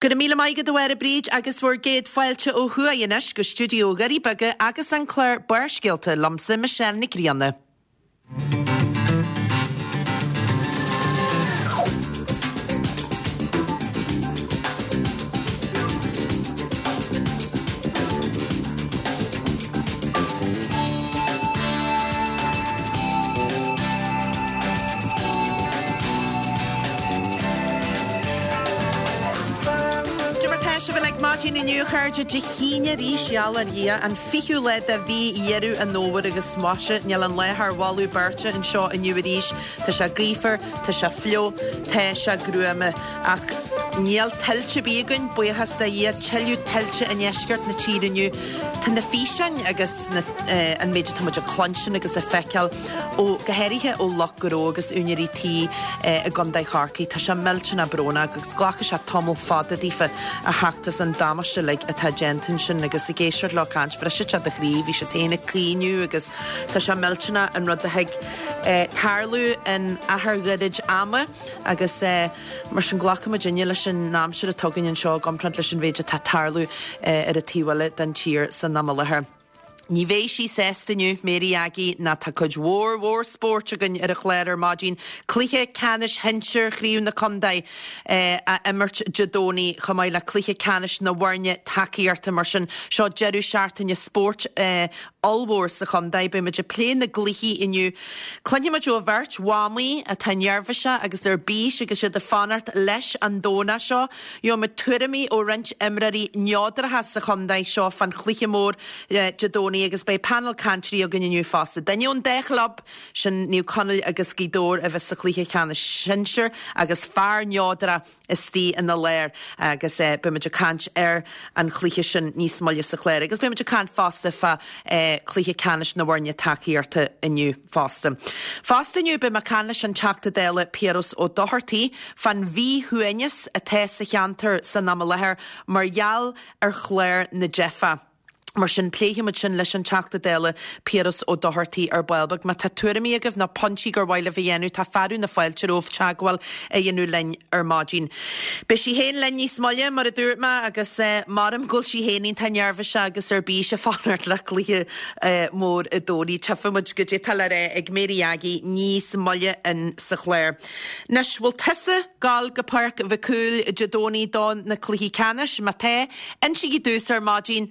Go raibh míle maith agat a Mháire Bríd agus bhur gcéad fáilte ó thuaidh anois go stiúideo Dhoirí Beaga agus an clár Barrscéalta liomsa Michelle Nic Grianna. Cad é mar tá sibh uilig maidin inniu a chairde, Dé hAoine arís, gheall ar Dhia, an 20ú lá de mhí Dheireadh an Fhómhair agus maise, níl an lá thar mholadh beirte anseo inniu arís. Tá sé gaofar, tá sé fliuch, tá sé gruama. Ach níl tuilte ar bith againn, buíochas do Dhia, tuilleadh tuilte i ndeisceart na tíre inniu. Tá na físeáin agus na, an méid atá muid ag cluinstin agus ag feiceáil ó, go háirithe ó lucht gnó agus úinéirí tí i gContae Chorcaí, tá sé millteanach brónach agus glacfaidh sé tamall fada daofa a theacht as an damáiste uilig atá déanta ansin agus ag éisteacht leo ag caint, bhrisfeadh sé do chroí, bhí siad féin ag caoineadh agus tá sé millteanach an rud a thig tarlú in achar ghairid ama. Agus mar sin glacfaidh muidinne leis an aimsir atá againn anseo i gcomparáid leis an mhéid atá ag tarlú ar an taobh eile den tír san am i láthair. Ní bheidh sí sásta inniu, Mary Aggie, ná tá cuid mhór mhór spóirt againn ar an chlár ar maidin. Cluiche ceannais shinsir Chraobh na Contae á imirt Dé Domhnaigh chomh maith le cluiche ceannais na bhfoirne tacaíochta. Mar sin, seo deireadh seachtaine spóirt ollmhór sa chontae. Beidh muid ag plé na gcluichí inniu. Cluinfidh muid ó bheirt mhamaí atá neirbhíseach agus ar bís agus iad ag fanacht leis an Domhnach seo. Gheobhaidh muid tuairimí ó roinnt imreoirí neodracha sa chontae seo fán chluiche mór Dé Domhnaigh agus beidh panel cainteoirí againn inniu fosta. Duine ón dá chlub, sin Naomh Conaill agus Gaoth Dobhair a bheas sa chluiche ceannais sinsir agus fear neodrach istigh ina lár agus beidh muid ag caint ar an chluiche sin níos moille sa chlár agus beidh muid ag caint fosta fá chluiche ceannais na bhfoirne tacaíochta inniu fosta. Fosta inniu beidh mé ag caint leis an Teachta Dála Piaras Ó Dochartaigh fán mhíshuaimhneas atá sa cheantar san am i láthair mar gheall ar chlár na dteifeach. Mar sin, pléifidh muid sin leis an Teachta Dála Piaras Ó Dochartaigh ar ball beag. Má tá tuairimí agaibh nó pointí gur mhaith libh a dhéanamh, tá fearadh na fáilte romhaibh teagmháil a dhéanamh linn ar maidin. Beidh sí féin linn níos moille, mar a dúirt mé, agus maram go bhfuil sí féin iontach neirbhíseach agus ar bís ag fanacht le cluiche mór an Domhnaigh. Tchífidh muid goidé atá le rá ag Mary Aggie níos moille in sa chlár. Anois, bhfuil tusa ag gabháil go Páirc Mhic Cumhaill Dé Domhnaigh do na cluichí ceannais? Má tá, Insígí domhsa ar maidin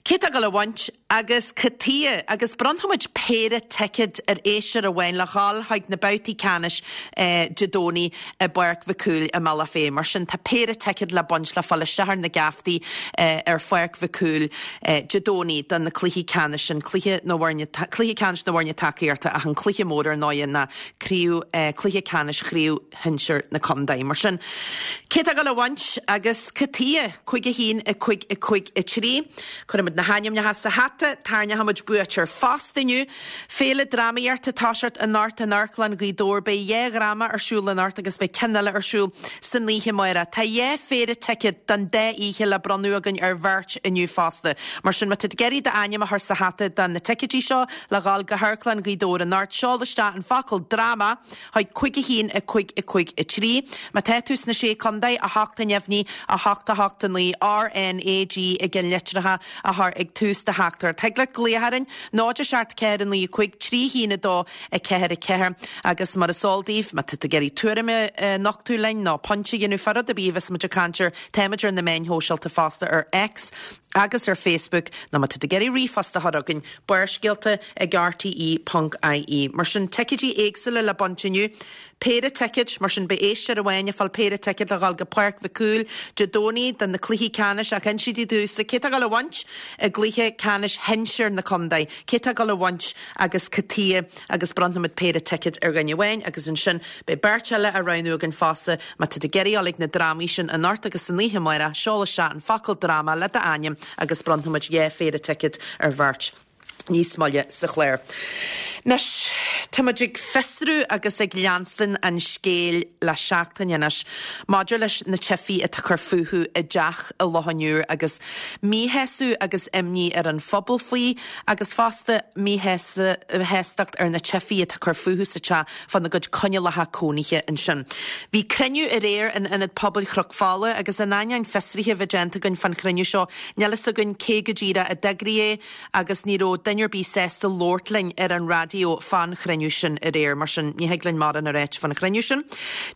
cé tá ag dul a bhaint agus cad tuighe agus bronnfaimid péire ticéad ar éisteoir amháin le dhul chuig na babhtaí ceannais Dé Domhnaigh i bPáirc Mhic Cumhaill i mBealach Féich. Mar sin tá péire ticéad le baint le fáil isteach ar na geaftaí ar Pháirc Mhic Cumhaill Dé Domhnaigh do na cluichí ceannais sin, cluiche na bhfoirne, cluiche ceannais na bhfoirne tacaíochta ach an cluiche mór ar ndóighe ná craobh, cluiche ceannais chraobh shinsir na contae. Mar sin, cé tá ag dul a bhaint agus cad tuighe? 5 1 5 5 3. Cuirfimid na hainmneacha sa hata, tarraingeoimid buaiteoir fosta inniu. Féile Drámaíochta ag toiseacht anocht in Amharclann Ghaoth Dobhair. Beidh dhá dhráma ar siúl anocht agus beidh ceann eile ar siúl san oíche amárach. Tá dhá phéire ticéad don dá oíche le bronnadh againn ar bheirt inniu fosta. Mar sin, má tá tú ag iarraidh d'ainm a chur sa hata do na ticéidí seo le dhul go hAmharclann Ghaoth Dobhair anocht, seol isteach an focal 'dráma' chuig 5 1 5 5 3. Má tá tú sna Sé Contae, 8 a neamhní, 8 8 9, R N A G i gceannlitreacha a chur ag tús do theachtaireacht. Thig leat glaoch orainn, 0 7 4 9 5 3 1 2 4 4 agus mar is eol daoibh, má tá tú ag iarraidh tuairim a nochtadh linn nó pointe a dhéanamh fá rud ar bith a bheas muid ag caint air, táimid ar na meáin shóisialta fosta ar X agus ar Facebook nó má tá tú ag iarraidh ríomhphost a chur chugainn, Barrscéalta ag rte ponc ie. Mar sin, ticéidí éagsúla le baint inniu. Péire ticéad, mar sin beidh éisteoir amháin ag fáil péire ticéad le dhul go Páirc Mhic Cumhaill Dé Domhnaigh do na cluichí ceannais ach insígí domhsa cé tá ag dul a bhaint i gcluiche ceannais shinsir na contae, cé tá ag dul a bhaint agus cad tuighe agus bronnfaimid péire ticéad ar dhuine amháin agus ansin beidh beirt eile á roghnú againn fosta má tá tú ag iarraidh dhul ag na drámaí sin anocht agus san oíche amárach, seol isteach an focal dráma le d'ainm agus bronnfaimid dhá phéire ticéad ar bheirt níos moille sa chlár. Anois, tá muid ag fiosrú agus ag leanstan an scéil le seachtain anois maidir leis na teifigh atá ag cur fúthu i dteach i Loch an Iúir agus míshásamh agus imní ar an phobal faoi agus fosta míshástacht ar na teifigh atá ag cur fúthu sa teach fána gcuid coinníollacha cónaithe ansin. Bhí cruinniú aréir in Ionad Pobail Chnoc Fola agus in ainneoin fiosraithe a bheith déanta againn fán chruinniú seo, níl fhios againn cé go díreach a d'eagraigh é, agus ní raibh duine ar bith sásta labhairt linn ar an raidió fán chruinniú sin aréir, mar sin ní thig linn mórán a ráit fán chruinniú sin.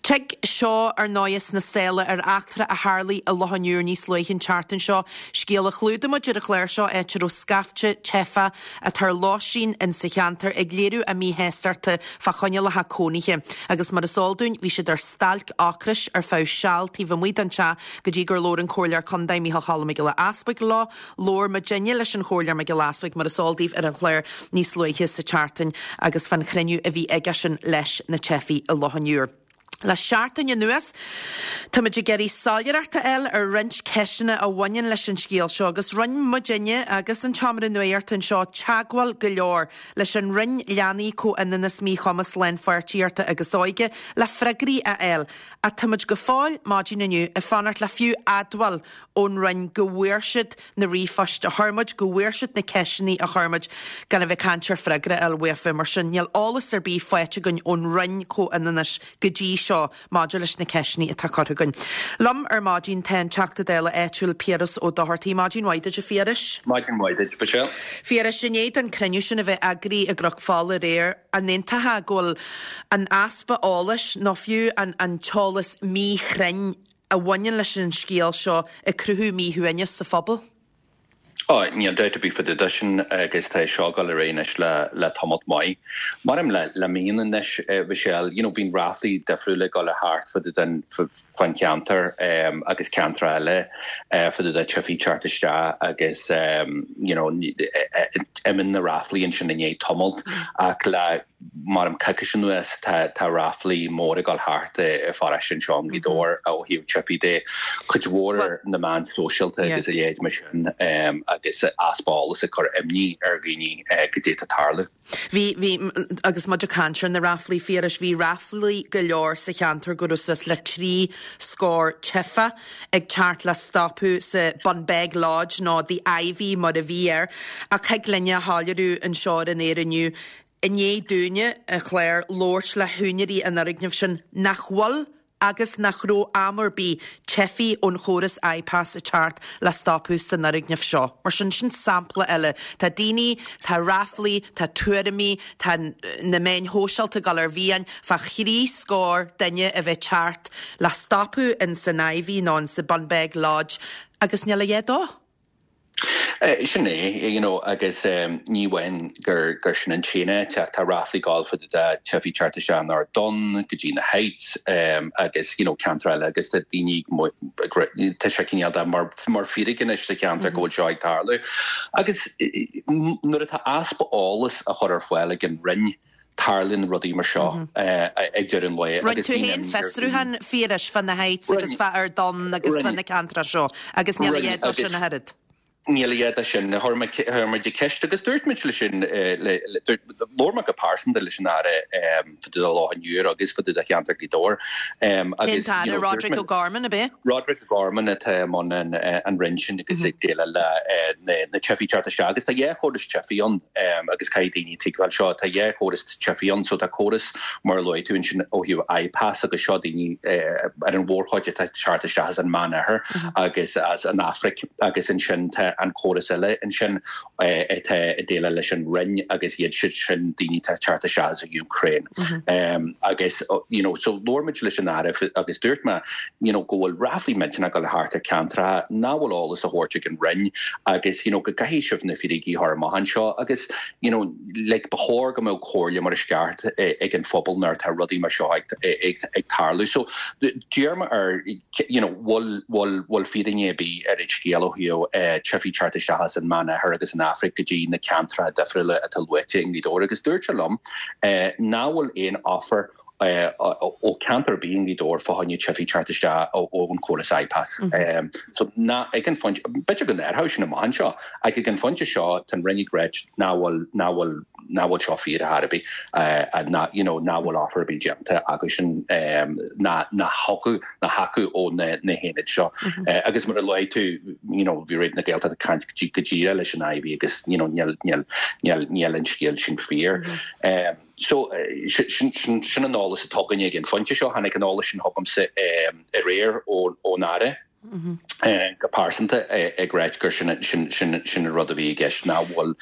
Tig seo, ar ndóighe, sna sála ar eachtra a tharlaigh i Loch an Iúir níos luaithe an tseachtain seo, scéal a chlúdaigh muid ar an chlár seo, áit a raibh scaifte teifeach atá ar lóistín insa cheantar ag léiriú a míshástachta fá choinníollacha cónaithe, agus mar is eol dúinn, bhí siad ar stailc ocrais ar feadh seal taobh amuigh den teach go dtí gur labhair an Comhairleoir Contae Micheál Cholm Mac Giolla Easbuig leo. Labhair muidinne leis an Chomhairleoir Mac Giolla Easbuig, mar is eol daoibh, ar an chlár níos luaithe sa tseachtain agus fán chruinniú a bhí aigesean leis na teifigh i Loch an Iúir. Le seachtain anuas, táimid ag iarraidh soiléireacht a fháil ar roinnt ceisteanna a bhaineann leis an scéal seo agus rinne muidinne agus an tSeomra Nuachta anseo teagmháil go leor leis an Roinn Leanaí, Comhionannas, Míchumas, Lánpháirtíochta agus Óige le freagraí a fháil ach táimid go fóill maidin inniu ag fanacht le fiú admháil ón Roinn go bhfuair siad na ríomhphoist a chuir muid, go bhfuair siad na ceisteanna a chuir muid, gan a bheith ag caint ar freagra a fháil uafa. Mar sin, níl eolas ar bith faighte againn ón Roinn Comhionannais go dtí seo maidir leis na ceisteanna atá curtha againn. Liom ar maidin tá an Teachta Dála áitiúil Piaras Ó Dochartaigh. Maidin mhaith duit, a Phiarais. Maidin mhaith duit, Michelle. Phiarais, i ndiaidh don cruinniú sin a bheith eagraithe i gCnoc Fola aréir, an aontófá go bhfuil an easpa eolais, nó fiú an t-eolas míchruinn, a bhaineann leis an scéal seo ag cruthú míshuaimhneas sa phobal. Ó, níl dabht ar bith fá dtaobh de sin agus tá seo ag dul ar aghaidh anois le le tamalt maith. Maram le le míonna anois, Michelle, you know, bíonn ráflaí difriúla ag dul thart fá dtaobh den fán cheantar agus ceantracha eile fá dtaobh de teifigh teacht isteach agus you know, imíonn na ráflaí ansin i ndiaidh tamalt ach le Maram coicís anuas tá tá ráflaí móra ag dul thart i pharóiste anseo i nGaoth Dobhair ó thaobh teifigh de, cuid mhór ar na meáin sóisialta agus a leithéid mar sin agus easpa eolais ag cur imní ar dhaoine goidé atá ag tarlú. Bhí, bhí, agus muid ag caint ar na ráflaí, a Phiarais, bhí ráflaí go leor sa cheantar go raibh suas le 3 scór teifeach ag teacht le stopadh sa Bunbeg Lodge nó The Ivy mar a bhí air ach thig linne a shoiléiriú anseo ar an aer inniu I ndiaidh dúinne, an chlár, labhairt le húinéirí an fhoirgnimh sin nach bhfuil agus nach raibh am ar bith teifigh ón chóras IPAS ag teacht le stopadh san fhoirgneamh seo. Mar sin, sin sampla eile. Tá daoine, tá ráflaí, tá tuairimí, tá na meáin shóisialta ag dul ar mhian fá thrí scór duine a bheith ag teacht le stopadh in san Ivy nó in sa Bunbeg Lodge agus níl a dhath dó. Sin é, you know, agus ní amháin gur gur sin an t-aon áit ach tá ráflaí ag gabháil fá dtaobh de teifigh teacht isteach in Ard Donn go dtí na Heights agus, you know, ceantar eile agus tá daoine ag tá sé cineál de mar mar fíric anois sa cheantar go bhfuil seo ag tarlú. Agus nuair atá easpa eolas á chur ar fáil ag an Roinn, tarlaíonn rudaí mar seo ag deireadh an lae Rinne agus tú féin fiosrúchán, a Phiarais, fá na Heights agus fá Ard Donn agus fá na ceantracha seo agus níl a dhath dó sin ach oiread. Níl a dhath de sin. Chuir mé chuir muid ceist agus dúirt muid leis sin labhair mé go pearsanta leis an Aire fá dtaobh de Loch an Iúir agus fá dtaobh de cheantar Ghaoth Dobhair Cén agus you tAire? Roderic O'Gorman, ab é? Roderic O'Gorman atá i mbun an Roinn sin agus ag déileáil le na teifigh teacht isteach agus tá dhá chóras teifigh ann agus caithfidh daoine tuigbheáil seo, tá dhá chóras teifigh ann so tá córas mar a luaigh tú ansin ó thaobh IPAS agus seo daoine ar an mhórchuid atá ag teacht isteach as an Meánoirthear agus as an Afraic agus ansin tá an córas eile ansin atá ag déileáil leis an Roinn agus iad siad sin daoine atá ag teacht isteach as an Úcráin. Agus you know so labhair muid leis an Aire agus dúirt mé you know go bhfuil ráflaí millteanach ag dul thart ar ceantracha nach bhfuil eolas á thabhairt ag an Roinn agus you know go gcaithfidh sibh na fíricí a chur amach anseo agus you know like ba chóir go mbeadh comhairle mar is ceart ag an phobal nuair atá rudaí mar seo ag ag tarlú. So d'iarr mé air you know bhfuil bhfuil bhfuil fírinne ar bith ar an scéal ó thaobh teifigh teacht isteach as an Meánoirthear agus an Afraic go dtí na ceantracha difriúla atá luaite i nGaoth Dobhair agus dúirt sé liom nach bhfuil aon offer. Ó cheantar ar bith i nGaoth Dobhair fá choinne teifigh teacht isteach ón chóras IPAS. So ná ag an phointe, b'fhéidir go n-athróidh sin amach anseo, ach ag an phointe seo tá an Roinn ag ráit nach bhfuil, nach bhfuil, nach bhfuil seo fíor ar chor ar bith, ná, you know, nach bhfuil offer ar bith déanta acusan, ná, ná chucu, ná chucu ó na, na haonaid seo. Agus mar a luaigh tú, you know, bhí Raidió na Gaeltachta ag caint go díreach leis an IVI agus, you know, níl, níl, níl, níl an scéal sin fíor. So, sin an eolas atá againne ag an phointe seo. Tháinig an eolas sin chugamsa aréir ón Aire go pearsanta ag ráit gur sin an rud a bhí i gceist, nach bhfuil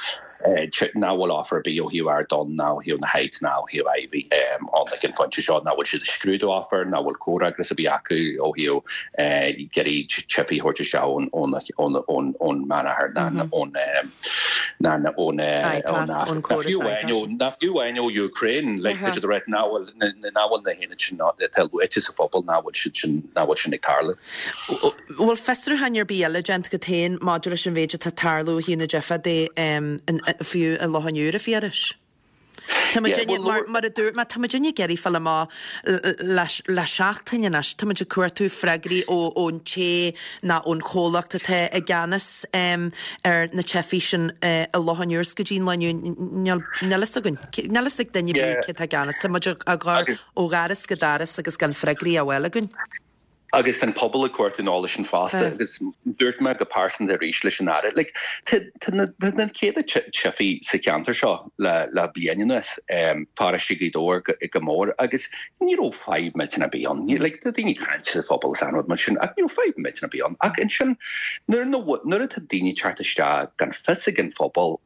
nach bhfuil offer ar bith ó thaobh Ardán ná ó thaobh na Heights ná ó thaobh Iveagh ann ag an phointe seo, nach bhfuil siad ag scrúdú offer, nach bhfuil comhfhreagras ar bith acu ó thaobh iarraidh teifigh a thabhairt isteach ón Meánoirthear ná ón ná ón fiú amháin ó Ukraine, like tá siad ag ráit nach bhfuil nach bhfuil na haonaid sin atá luaite sa phobal nach bhfuil siad sin nach bhfuil sin ag tarlú. Bhfuil fiosrúcháin ar bith eile déanta agat féin maidir leis an mhéid atá ag tarlú ó thaobh na dteifeach de fiú i Loch an Iúir, a Phiarais? Tá muidinne, mar, mar a dúirt mé, tá muidinne ag iarraidh fáil amach le, le seachtain anois, tá muid ag cuartú freagraí ó, ón té nó ón chomhlacht atá i gceannas ar na teifigh sin i Loch an Iúir 's go dtí an lá inniu, níl, níl fhios againn, níl fhios ag duine ar bith cé atá i gceannas. Tá muid ag gabháil ó dhoras go doras agus gan freagraí á bhfáil againn. Agus tá an pobal ag cuartú an eolais sin fosta agus dúirt mé go pearsanta arís leis an Aire, like, tá na céadta teifigh sa cheantar seo le le bliain anuas, paróiste Ghaoth Dobhair go mór agus ní raibh fadhb millteanach ar bith ann. Like, tá daoine ag caint sa phobal is aon rud mar sin ach ní raibh fadhb millteanach ar bith ann. Ach ansin nuair nuair atá daoine ag teacht isteach gan fios ag an phobal,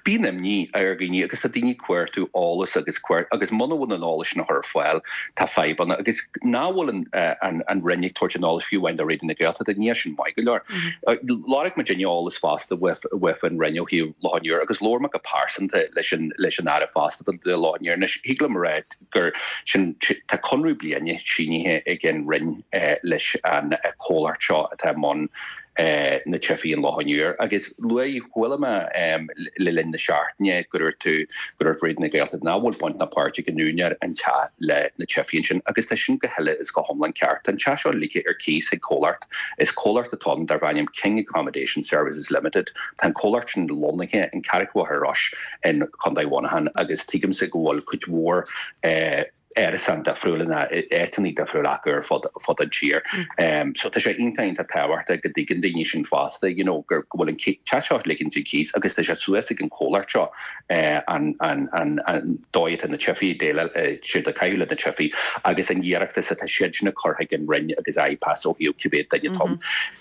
bíonn imní ar dhaoine agus tá daoine ag cuartú eolas agus agus muna bhfuil an eolas sin á chur ar fáil, tá fadhbanna agus nach bhfuil an Roinn ag tabhairt an eolais fiú amháin do Raidió na Gaeltachta, níl sin maith go leor. Lorg muidinne eolas fosta uaidh an Roinn ó thaobh Loch an Iúir agus labhair mé go pearsanta leis an leis an Aire fosta do Loch an Iúir. Anois, thig liom a rá gur sin tá conradh bliana sínithe ag an Roinn leis an comhlacht seo atá i mbun na teifigh in Loch an Iúir. Agus luaigh, chuala mé le linn na seachtaine go dúirt tú, go dúirt Raidió na Gaeltachta nach bhfuil baint ná páirt ag an úinéir an teach le na teifigh ansin agus tá sin go huile is go hiomlán ceart. Tá an teach seo ligthe ar cíos ag comhlacht. Is comhlacht atá ann darb ainm King Accommodation Services Limited. Tá an comhlacht sin lonnaithe in Carraig Mhachaire Rois in Contae Mhuineacháin agus tuigimse go bhfuil cuid mhór árasán difriúla ná áiteanna difriúla acu ar fud fud an tír. So tá sé iontach iontach tábhachtach go dtuigeann daoine sin fosta, you know, gur go bhfuil an teach seo ligint ar cíos agus tá sé suas ag an comhlacht seo an an an an dóigh atá na teifigh ag déileáil siad ag caitheamh le na teifigh agus an iarratas atá siad sin ag cur chuig an Roinn agus IPAS ó thaobh cibé duine atá ann.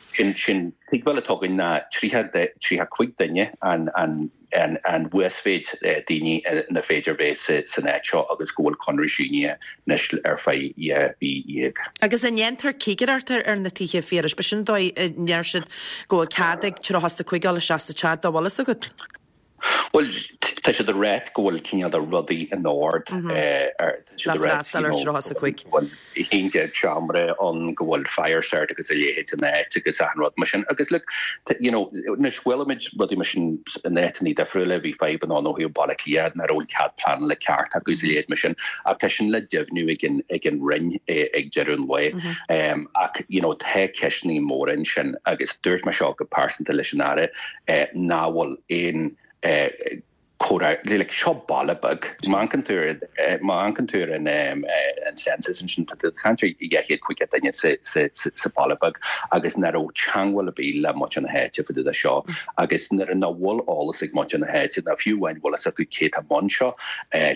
Sin sin tuigbheáil atá againn ná 30 35 duine an an an uasmhéid daoine ina féidir bheith san áit seo agus go bhfuil conradh sínithe anois ar feadh 12 mhí. Agus an ndéantar cigireacht ar na tithe, a Phiarais? B'shin an dóigh a ndeir siad go bhfuil cead ag 35 dul isteach sa teach, dá bhfuil fhios agat. Bhuel, tá siad ag ráit go bhfuil cineál de rudaí in ord. Tá siad ag ráit, you know, go bhfuil 11 seomra ann, go bhfuil fire cert agus a leithéid in áit agus achan rud mar sin. Agus look, you know, anois chuala muid rudaí mar sin in áiteanna difriúla, bhí fadhbanna ann ó thaobh Baile Átha Cliath, nach raibh an cead pleanála ceart acu is a leithéid mar sin. Ach tá sin le deimhniú ag an, ag an Roinn ag deireadh an lae. Ach, you know, tá ceisteanna móra ansin agus dúirt mé seo go pearsanta leis an Aire, nach bhfuil aon comhrá, like, seo baile beag. Má amharcann tú ar, má amharcann tú ar an, an census ansin, tá tú ag caint ar 250 duine sa, sa, sa, sa baile beag agus nach raibh teangmháil ar bith le muintir na háite fá dtaobh de seo agus nuair nach bhfuil eolas ag muintir na háite ná fiú amháin bhfuil fhios acu cé tá i mbun seo,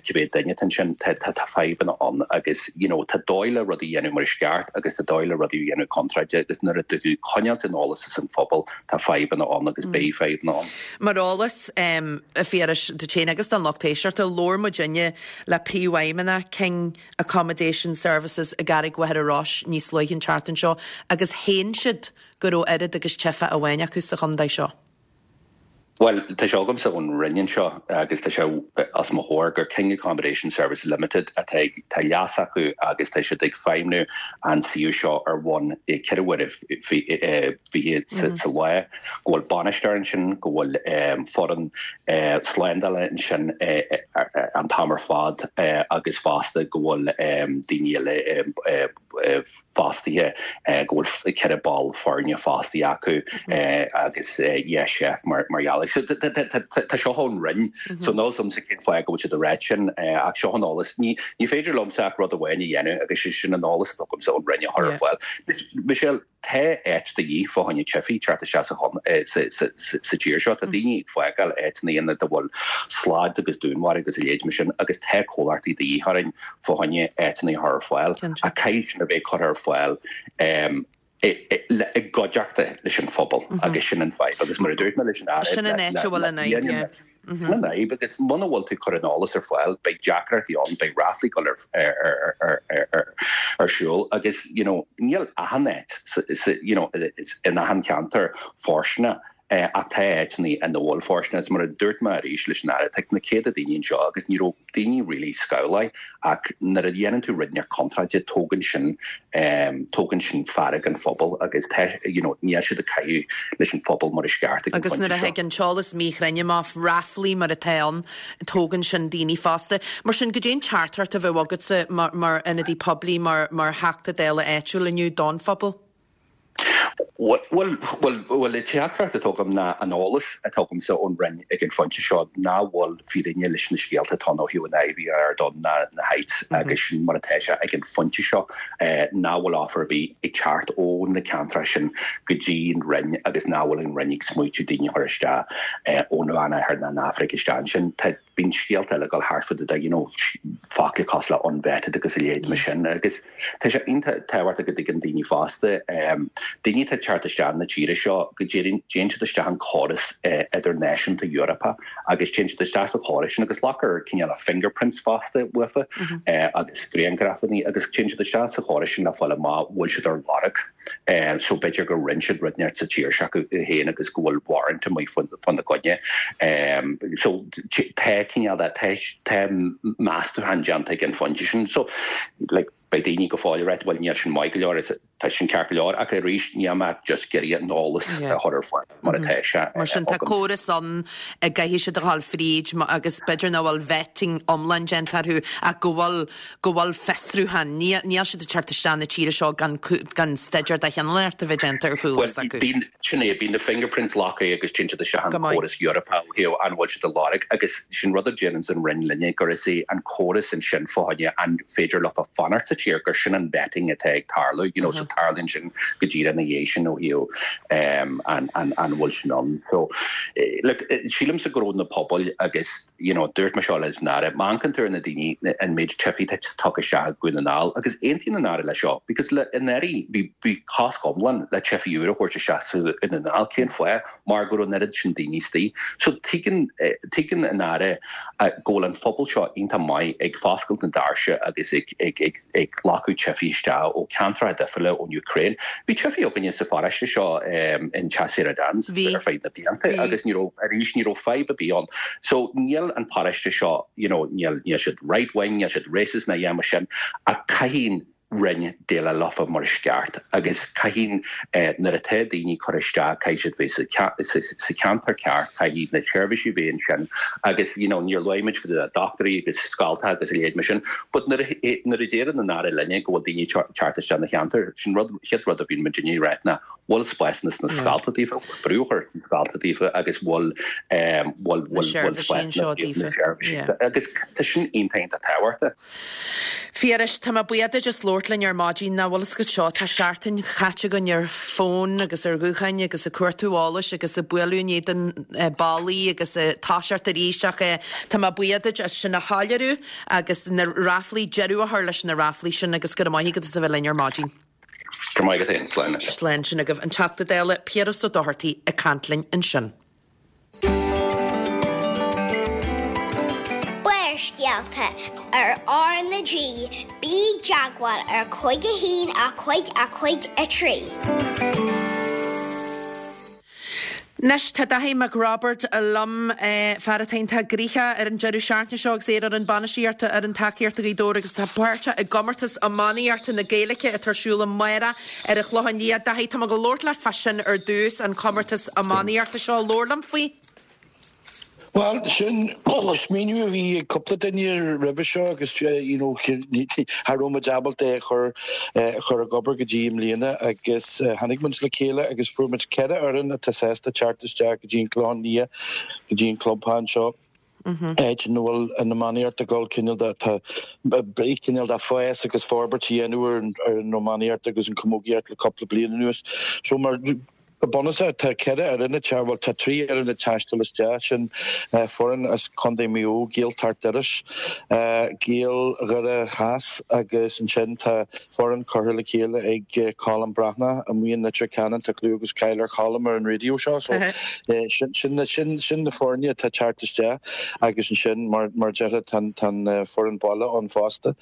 cibé duine atá ansin, tá, tá, tá fadhbanna ann agus, you know, tá dóigh le rudaí a dhéanamh mar is ceart agus tá dóigh le rudaí a dhéanamh contráilte agus nuair atá tú ag coinneáilt an eolas as an phobal, tá fadhbanna ann agus beidh fadhbanna ann. Mar eolas, a Phiarais, duit féin agus don lucht éisteachta, labhair muidinne le Príomhfheidhmeannach King Accommodation Services i gCarraig Mhachaire Rois níos luaithe an tseachtain seo agus shéan siad go raibh oiread agus teifeach amháin acu sa chontae seo. Bhuel, tá sé agamsa ón Roinn anseo agus tá sé os mo chomhair gur King Accommodation Services Limited atá ag, tá leas acu agus tá siad ag feidhmniú an suíomh seo ar bhonn 24 uaire sa lá, go bhfuil bainisteoir ansin, go bhfuil foireann slándála ansin an t-am ar fad agus fosta go bhfuil daoine eile fostaithe, go bhfuil 4 ball foirne fostaithe acu agus yeah chef mar gheall air. So tá seo ón Roinn. So níl 'fhios a'msa cén fáth go bhfuil siad ag ráit sin ach seo an eolas. Ní féidir liomsa ach rud amháin a dhéanamh agus sé sin an eolas atá agamsa ón Roinn a chur ar fáil. Michelle, Tá áit de dhíth fá choinne teifigh teacht isteach sa tír seo. Tá daoine ag fágáil áiteanna ina bhfuil slad agus dúnmharú agus a leithéid mar sin agus tá comhlachtaí de dhíth orainn fá choinne áiteanna a chur ar fáil. Ach caithfidh sin a bheith curtha ar fáil i gcuideachta leis an phobal agus sin an fadhb. Agus mar a dúirt mé leis an Aire, Sin an áit a bhfuil an fhadhb, yeah. Sin an fhadhb agus muna bhfuil tú ag cur an eolas ar fáil beidh deacrachtaí ann, beidh ráflaí ag dul ar siúl agus you know níl achan áit you know in achan cheantar fóirsteanach ach tá áiteanna ina bhfuil fóirsteanach. Is mar a dúirt mé arís leis an Aire, tá na céadta daoine anseo agus ní raibh daoine really scamhláith ach nuair a dhéanann tú rud inteacht contráilte tógann sin tógann sin fearg an phobail agus tá you know níl siad ag caitheamh leis an phobal mar is ceart ag an Agus phointe nuair a seo. thig an t-eolas míchruinn amach, ráflaí mar atá ann, tógann sin daoine fosta. Mar sin, goidé an teachtaireacht a bheadh agatsa mar mar ionadaí poiblí, mar mar Theachta Dála áitiúil inniu don phobal? Bhuel, bhuel, bhuel, an teachtaireacht atá agam ná an eolas atá agamsa ón Roinn ag an phointe seo nach bhfuil fírinne leis na scéalta atá ann ó thaobh an Iveagh, Ardán ná na Heights agus sin mar atá sé ag an phointe seo nach bhfuil offer ar bith ag teacht ó na ceantracha sin go dtí an Roinn agus nach bhfuil an Roinn ag smaoitiú daoine a chur isteach ón Mheánoirthear ná an Afraic isteach ansin. Tá. Bíonn scéalta eile ag dul thart fá you know focla cosúil le unvetted agus a leithéid mar sin agus tá sé iontach tábhachtach go dtuigeann daoine fosta, daoine atá ag teacht isteach na tíre seo go dtéann siad isteach an córas idirnáisiúnta Eorpach agus téann siad isteach sa chóras sin agus glactar cineál fingerprints fosta uafa agus grianghrafanna agus téann siad isteach sa chóras sin le fáil amach bhfuil siad ar lorg. So b'fhéidir gur rinne siad rud inteacht sa tír s'acu féin agus go bhfuil warrant amuigh faoina gcoinne. So tá cineál de, tá tá meastúchán déanta ag an phointe sin. So like beidh daoine go fóill ag rá bhuel níl sin maith go leor, tá sin ceart go leor ach arís níl mé just ag iarraidh an eolas a chur ar fáil mar atá sé Mar sin tá córas ann a gcaithfidh siad a dhul fríd agus b'fhéidir nach bhfuil vetting iomlán déanta orthu ach go bhfuil go bhfuil fiosrúchán, níl siad ag teacht isteach na tíre seo gan gan staidéar de chineál inteacht a bheith déanta ar chúl s'acu. Bhuel, sin é, bíonn na fingerprints glactha agus téann siad isteach an córas Eorpach ó thaobh an bhfuil siad ar lorg agus sin rud a déananns an Roinn linne gur is é an córas ansin fá choinne an féidir leofa fanacht sa tír gur sin an vetting atá ag tarlú, you know, so tarlaíonn sin go díreach ina dhiaidh sin ó thaobh an an bhfuil sin ann. So, look, sílimse go raibh na pobail agus you know, dúirt mé seo leis an Aire, má amharcann tú ar na daoine, an méid teifigh atá tagtha isteach i Dhún na nGall, agus aontaíonn an Aire leis seo, because le anuraidh bhí, bhí cosc iomlán le teifigh úra a thabhairt isteach sa Dhún na nGall, cén fáth? Mar go raibh an oiread sin daoine istigh. So tuigeann, tuigeann an Aire go bhfuil an phobal seo iontach maith ag foscailt na doirse agus ag, ag, ag, ag glacadh teifigh isteach ó ceantracha difriúla ón Ukraine. Bhí teifigh againne sa pharóiste seo in Teach Saoire Dan's ar feadh na blianta agus ní raibh, arís, ní raibh fadhb ar bith ann. So níl an paróiste seo, you know, níl, níl siad right wing, níl siad racist ná a dhath mar sin ach caithfidh an Roinn déileáil leofa mar is ceart agus caithfidh nuair atá daoine curtha isteach caithfidh siad bheith sa sa cheantar ceart, caithfidh na seirbhísí bheith ansin agus you know níor luaigh muid faoi na dochtúirí agus scoltacha agus a leithéid mar sin but nuair a nuair a deireann an Aire linne go bhfuil daoine ag teacht isteach na cheantar sin rud chéad rud a bhíonn muidinne ag ráit ná bhfuil spásanna sna scoltacha daofa, bhfuil brú á chur sna scoltacha daofa agus bhfuil bhfuil bhfuil bhfuil spásanna na seirbhísí agus tá sin iontach iontach tábhachtach. Phiarais, tá mé buíoch duit as labhairt linn ar maidin. Nach bhfuil fhios agat seo, tá seachtain chaite againn ar fón agus ar ghutháin agus ag cuartú eolais agus ag bualadh in éadan ballaí agus ag toiseacht arís ach tá mé buíoch duit as sin a shoiléiriú agus na ráflaí, deireadh a chur leis na ráflaí sin agus go raibh maith agat as a bheith linn ar maidin. Go raibh maith agat féin. Slán anois. Slán sin agaibh. An Teachta Dála Piaras Ó Dochartaigh ag caint linn ansin. Barrscéalta ar R na G, bí i dteagmháil ar 5 1 5 5 3. Anois tá Daithí Mac Roibeaird liom, fear atá iontach gnoitheach ar an deireadh seachtaine seo agus é ar fhoireann bainistíochta fhoireann tacaíochta Ghaoth Dobhair agus atá páirteach i gcomórtas iománaíochta na Gaeilge atá ar siúl amárach ar an Chlochán Liath. Daithí, tá mé ag labhairt leat fá sin ar dtús, an comórtas iománaíochta seo. Labhair liom faoi. Bhuel, sin smaoineamh a bhí ag cúpla duine roimhe seo agus you know cha raibh muid ábalta é a chur a chur ag obair go dtí i mbliana agus tháinig muid le chéile agus fuair muid 4 fhoireann atá sásta teacht isteach go dtí an Clochán Liath, go dtí an clubtheach anseo. Áit ina bhfuil an iománaíocht ag dul cineál de tá cineál de fás agus forbairt a dhéanamh ar an iománaíocht agus an chamógaíocht le cúpla bliain anuas. So mar Go bunúsach, tá 4 fhoireann ag teacht, bhuel tá 3 fhoireann ag taisteal isteach, sin foireann as Contae Mhaigh Eo, Gaeltacht Iorrais, Gaeil Dhoire Theas agus ansin tá foireann curtha le chéile ag Colm Breathnach amuigh in Leitir Ceanainn, tá clú agus cáil ar Cholm ar an raidió seo so sin sin na foirne atá ag teacht isteach agus ansin mar mar déarfá tá an foireann baile ann fosta.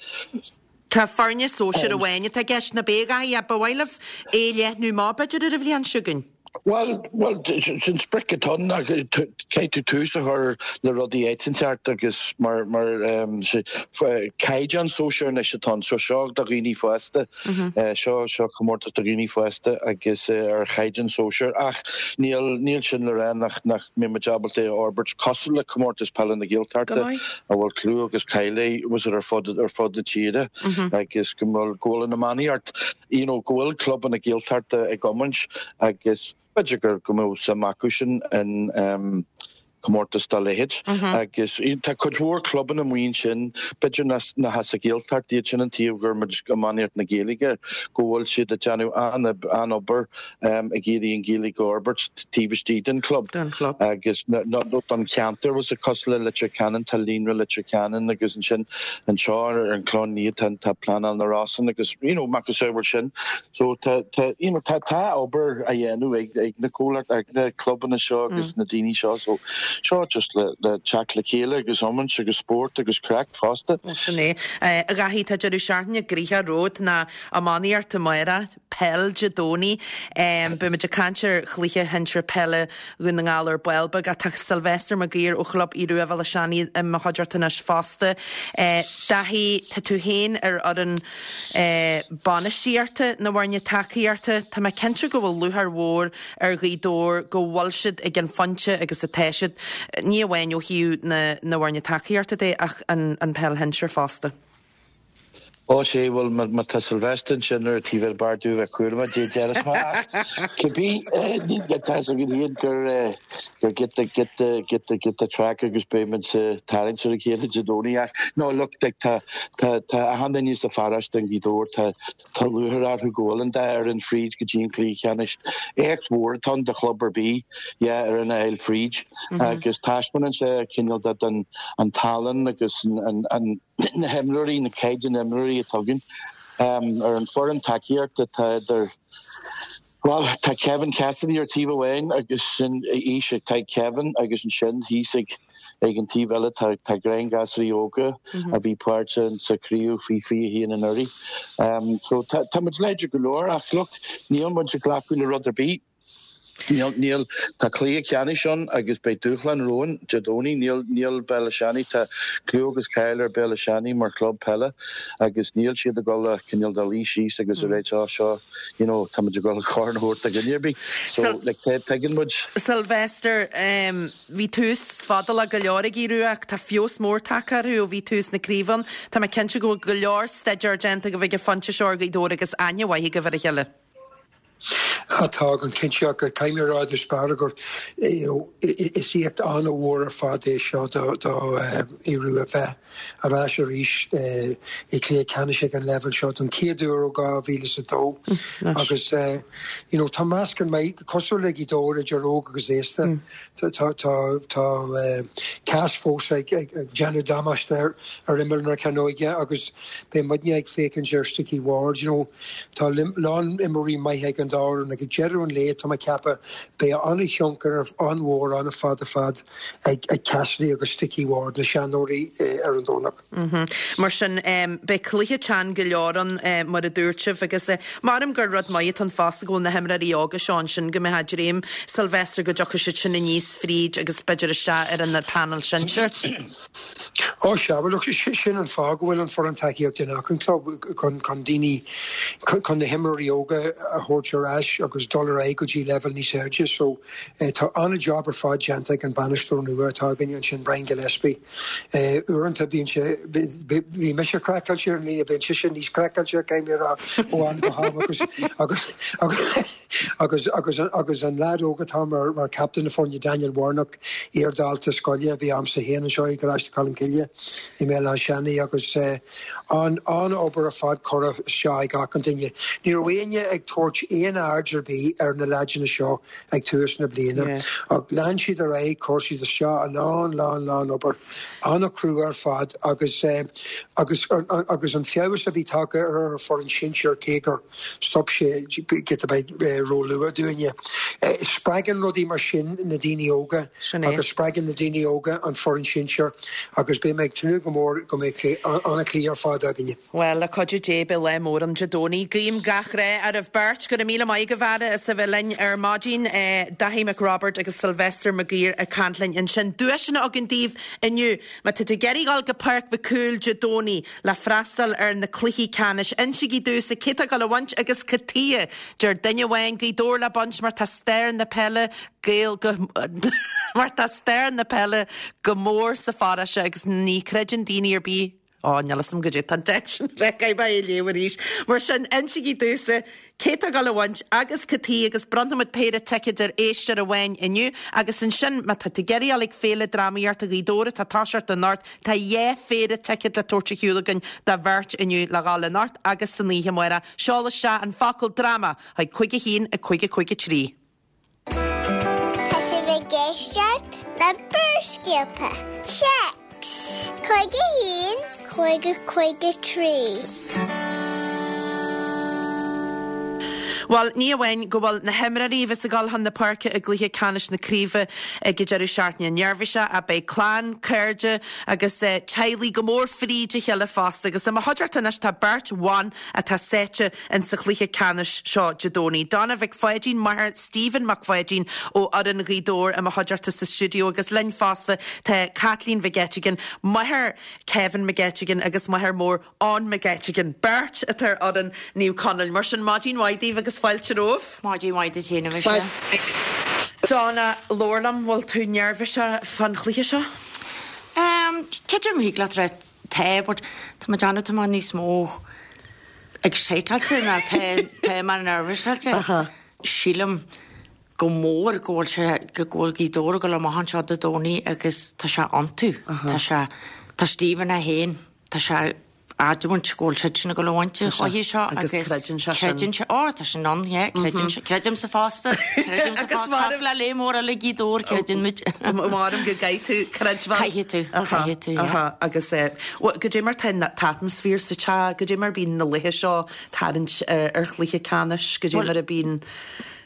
Tá foirne sóisir amháin atá i gceist, nach ea a Dhaithí, ba mhaith libh é a leathnú amach b'fhéidir ar an bhliain seo chugainn? Bhuel, bhuel, sin sprioc atá ann ach caithfidh tú tús a chur le rudaí áit inteacht agus mar, mar caighdeán sóisir anois atá ann. So seo do dhaoine fásta, seo, seo comórtas do dhaoine fásta agus ar chaighdeán sóisir ach níl, níl sin le rá nach, nach mbeidh muid ábalta é a fhorbairt cosúil le comórtas peile na Gaeltachta. a bhfuil clú agus cáil air ar fud ar fud na tíre agus go bhfuil go bhfuil an iománaíocht you know go bhfuil clubanna Gaeltachta ag iomáint agus b'fhéidir gur go mbeadh suim acu sin in um, comórtas dá leithéid agus tá cuid mhór clubanna amuigh ansin b'fhéidir nach as an Ghaeltacht iad sin an taobh gur muid iománaíocht na Gaeilge go bhfuil siad ag déanamh an-obair ag iarraidh an Ghaeilge a fhorbairt taobh istigh den chlub agus nó don cheantar was cosúil le Leitir Ceanainn tá Líonra Leitir Ceanainn agus ansin anseo ar an Chlochán Liath tá tá Pleanáil na Rosann agus you know macasamhail sin so tá tá you know tá tá obair á dhéanamh ag ag na comhlacht ag na clubanna seo agus na daoine seo so seo just le le teacht le chéile agus iomáint agus spórt agus craic fosta. Sin é. A Dhaithí tá deireadh seachtaine gnoitheach romhat ná iománaíocht amárach. Peil Dé Domhnaigh. Beidh muid ag caint ar chluiche shinsir peile Dhún na nGall ar ball beag ach tá Sylvester Mac Uidhir ó Chlub Aodh Rua Bhéal Átha Seanaidh i mo chuideachta anois fosta. Daithí, tá tú féin ar fhoireann bainistíochta na bhfoirne tacaíochta. Tá mé cinnte go bhfuil lúcháir mhór ar Ghaoth Dobhair go bhfuil siad ag an phointe agus atá siad, ní amháin ó thaobh na bhfoirne tacaíochta de ach an peil shinsir fosta. Ó sea, bhuel, má tá Sylvester ansin ar an taobh eile b'fhearr domh bheith cúramach dé déarfas mé ach cibé tá a fhios againn féin gur gur giota giota giota giota craic agus beidh muid ag tarraingt ar a chéile Dé Domhnaigh ach no look like tá tá tá achan duine sa pharóiste in Gaoth Dobhair tá tá lúcháir orthu go bhfuil an dá fhoireann fríd go dtí an cluiche ceannais. Éacht mhór atá ann do chlub ar bith yeah ar an fháil fríd agus taispeánann sé cineál de den an tallann agus an an na himreoirí, na caighdeán imreoirí atá againn ar an foireann tacaíochta tá idir, bhuel, tá Kevin Cassidy ar taobh amháin agus sin aois atá ag Kevin agus ansin thíos ag ag an taobh eile tá tá grianghasraí óga a bhí páirteach sa chraobh faoi 21 anuraidh. So tá tá muid láidir go leor ach look, níl muid ag glacadh le rud ar bith. Níl, níl, tá cluiche ceannais ann agus beidh dúshlán romhainn Dé Domhnaigh. Níl, níl Béal Átha Seanaidh, tá clú agus cáil ar Béal Átha Seanaidh mar chlub peile agus níl siad ag dul a cineál de luí síos agus a ráit oh seo, you know, tá muid ag dul corn a thabhairt do dhuine ar bith. So, like, tuigeann muid. Sylvester, bhí tús fadálach go leor ag Aodh Rua ach tá feabhas mór tagtha orthu ó bhí tús na craoibhe ann. Tá mé cinnte go bhfuil go leor staidéir déanta agaibh ag an phointe seo ar Ghaoth Dobhair agus aithne mhaith agaibh ar a chéile. Tá go cinnte ach caithfidh mé a rá i dtús báire gur you know is éacht an-mhór ar fad é seo do do Aodh Rua bheith ar ais arís i gcluiche ceannais ag an leibhéal seo don chéad uair ó 2002 agus you know tá meascán maith cosúil le Gaoth Dobhair idir óg agus aosta. Tá tá Cass fós ag déanamh damáiste ar imeall na cearnóige agus beidh muidne ag féachaint ar Sticky Ward. You know, tá lán imreoirí maithe ag an. an dá fhoireann ag deireadh an lae, tá mé ag ceapadh, beidh an-thionchar an-mhór an-fhada fad ag Cassidy agus Sticky Ward, na seanóirí ar an Domhnach. Mar sin, beidh cluiche teann go leor ann, mar a dúirt sibh, agus measaim gur rud maith atá ann fosta go bhfuil na himreoirí óga seo ansin, go mbeifeá ag dréim, Sylvester, go dtiocfaidh siad sin aníos fríd agus b'fhéidir isteach ar an panel sinsir. Ó sea, bhuel look, sin an fáth go bhfuil an foireann tacaíochta in achan club, chun daoine, chun na himreoirí óga a thabhairt ar ais agus dul ar aghaidh go dtí leibhéal níos airde. So tá an-jab ar fad déanta ag an bainisteoir nua atá againne ansin, Brian Gillespie. Uaireanta bíonn sé, bhí mise craiceáilte ar an líne, bíonn seisean níos craiceáilte, caithfidh mé a rá, ó am go ham agus, agus, agus, agus, agus, agus an leaid óg atá mar, mar captain na foirne, Daniel Warnock, iar-dhalta scoile a bhí a'msa féin anseo i gColáiste Cholmcille i mBéal Átha Seanaidh agus an, an-obair ar fad curtha isteach ag achan duine. Ní raibh éinne ag tabhairt aon aird ar bith ar na leaideanna seo ag tús na bliana. Ach lean siad ar aghaidh, chuir siad isteach a lán, lán, lán obair, an-chrua ar fad agus, agus, agus an feabhas a bhí tagtha ar an foireann sinsir cé gur stop sé giota beag ró-luath dúinne. Spreagann rudaí mar sin na daoine óga agus spreagann na daoine óga an foireann sinsir agus beidh mé ag tnúth go mór go mbeidh an-chluiche ar fad againne. Bhuel, le cuidiú Dé, beidh lá mór ann Dé Domhnaigh. Guím gach rath oraibh beirt. Go raibh míle maith agaibh a fheara as a bheith linn ar maidin. Daithí Mac Roibeaird agus Sylvester Mac Guill ag caint linn ansin. Duaiseanna againn daoibh inniu. Má tá tú ag iarraidh dhul go Páirc Mhic Cumhaill Dé Domhnaigh le freastal ar na cluichí ceannais, insígí domhsa cé tá ag dul a bhaint agus cad tuighe. Deir duine amháin Gaoth Dobhair le baint mar tá stair na peile Gael go mar tá stair na peile go mór sa pharóiste agus ní chreideann daoine ar bith Ó, níl fhios a'm goidé tá an téacs sin caithfidh mé é a léamh arís. Mar sin, insígí domhsa cé tá ag dul a bhaint agus cad tuighe agus bronnfaimid péire ticéad ar éisteoir amháin inniu agus ansin má tá tú ag iarraidh dul ag Féile Drámaíochta Ghaoth Dobhair atá ag toiseacht anocht, tá 2 phéire ticéad le tabhairt ar shiúl againn do bheirt inniu le dhul anocht agus san oíche amárach. Seol isteach an focal dráma chuig 5 1 5 5 3. Tá sibh ag éisteacht le Barrscéalta. Téacs 51 50 53. Bhuel, ní amháin go bhfuil na himreoirí a bheas ag dul chun na páirce i gcluiche ceannais na craoibhe ag an deireadh seachtaine neirbhíseach ach beidh clann, cairde agus teaghlaigh go mór fríd a chéile fosta agus i mo chuideachta anois tá beirt bhan atá sáite in sa chluiche ceannais seo Dé Domhnaigh. Donna Mhic Pháidín, máthair Stephen Mac Pháidín ó fhoireann Ghaoth Dobhair i mo chuideachta sa stiúideo agus linn fosta tá Caitlín Mhic Eiteagáin, máthair Kevin Mac Eiteagáin agus máthair mór Eoin Mac Eiteagáin, beirt atá ar fhoireann Naomh Conaill. Mar sin, maidin mhaith daoibh agus fáilte romhaibh. Maidin mhaith duit féin, a Mhichelle. Donna, labhair liom, bhfuil tú neirbhíseach fán chluiche seo? Creidim thig leat a rá tá, but tá mé ag déanamh tá mé níos mó exciteáilte ná tá mé neirbhíseáilte. Sílim go mór go bhfuil sé, go bhfuil Gaoth Dobhair ag dul amach anseo Dé Domhnaigh agus tá sé iontu. Tá sé, tá Stephen é féin, tá sé adamant go bhfuil siadsan ag dul a bhaint an chluiche seo agus creideann sé sin. Creideann sé, ó tá sin ann, yeah, creideann sé, creidimse fosta, creidimse fosta, cosúil le léith mór eile Gaoth Dobhair, creideann muid. Maram go gcaithfidh tú creidbheáil. Caithfidh tú, caithfidh tú, yeah. Agus goidé mar tá an t-atmaisféar sa teach, goidé mar bíonn na laethe seo tarraingt ar chluiche ceannais, goidé mar a bíonn.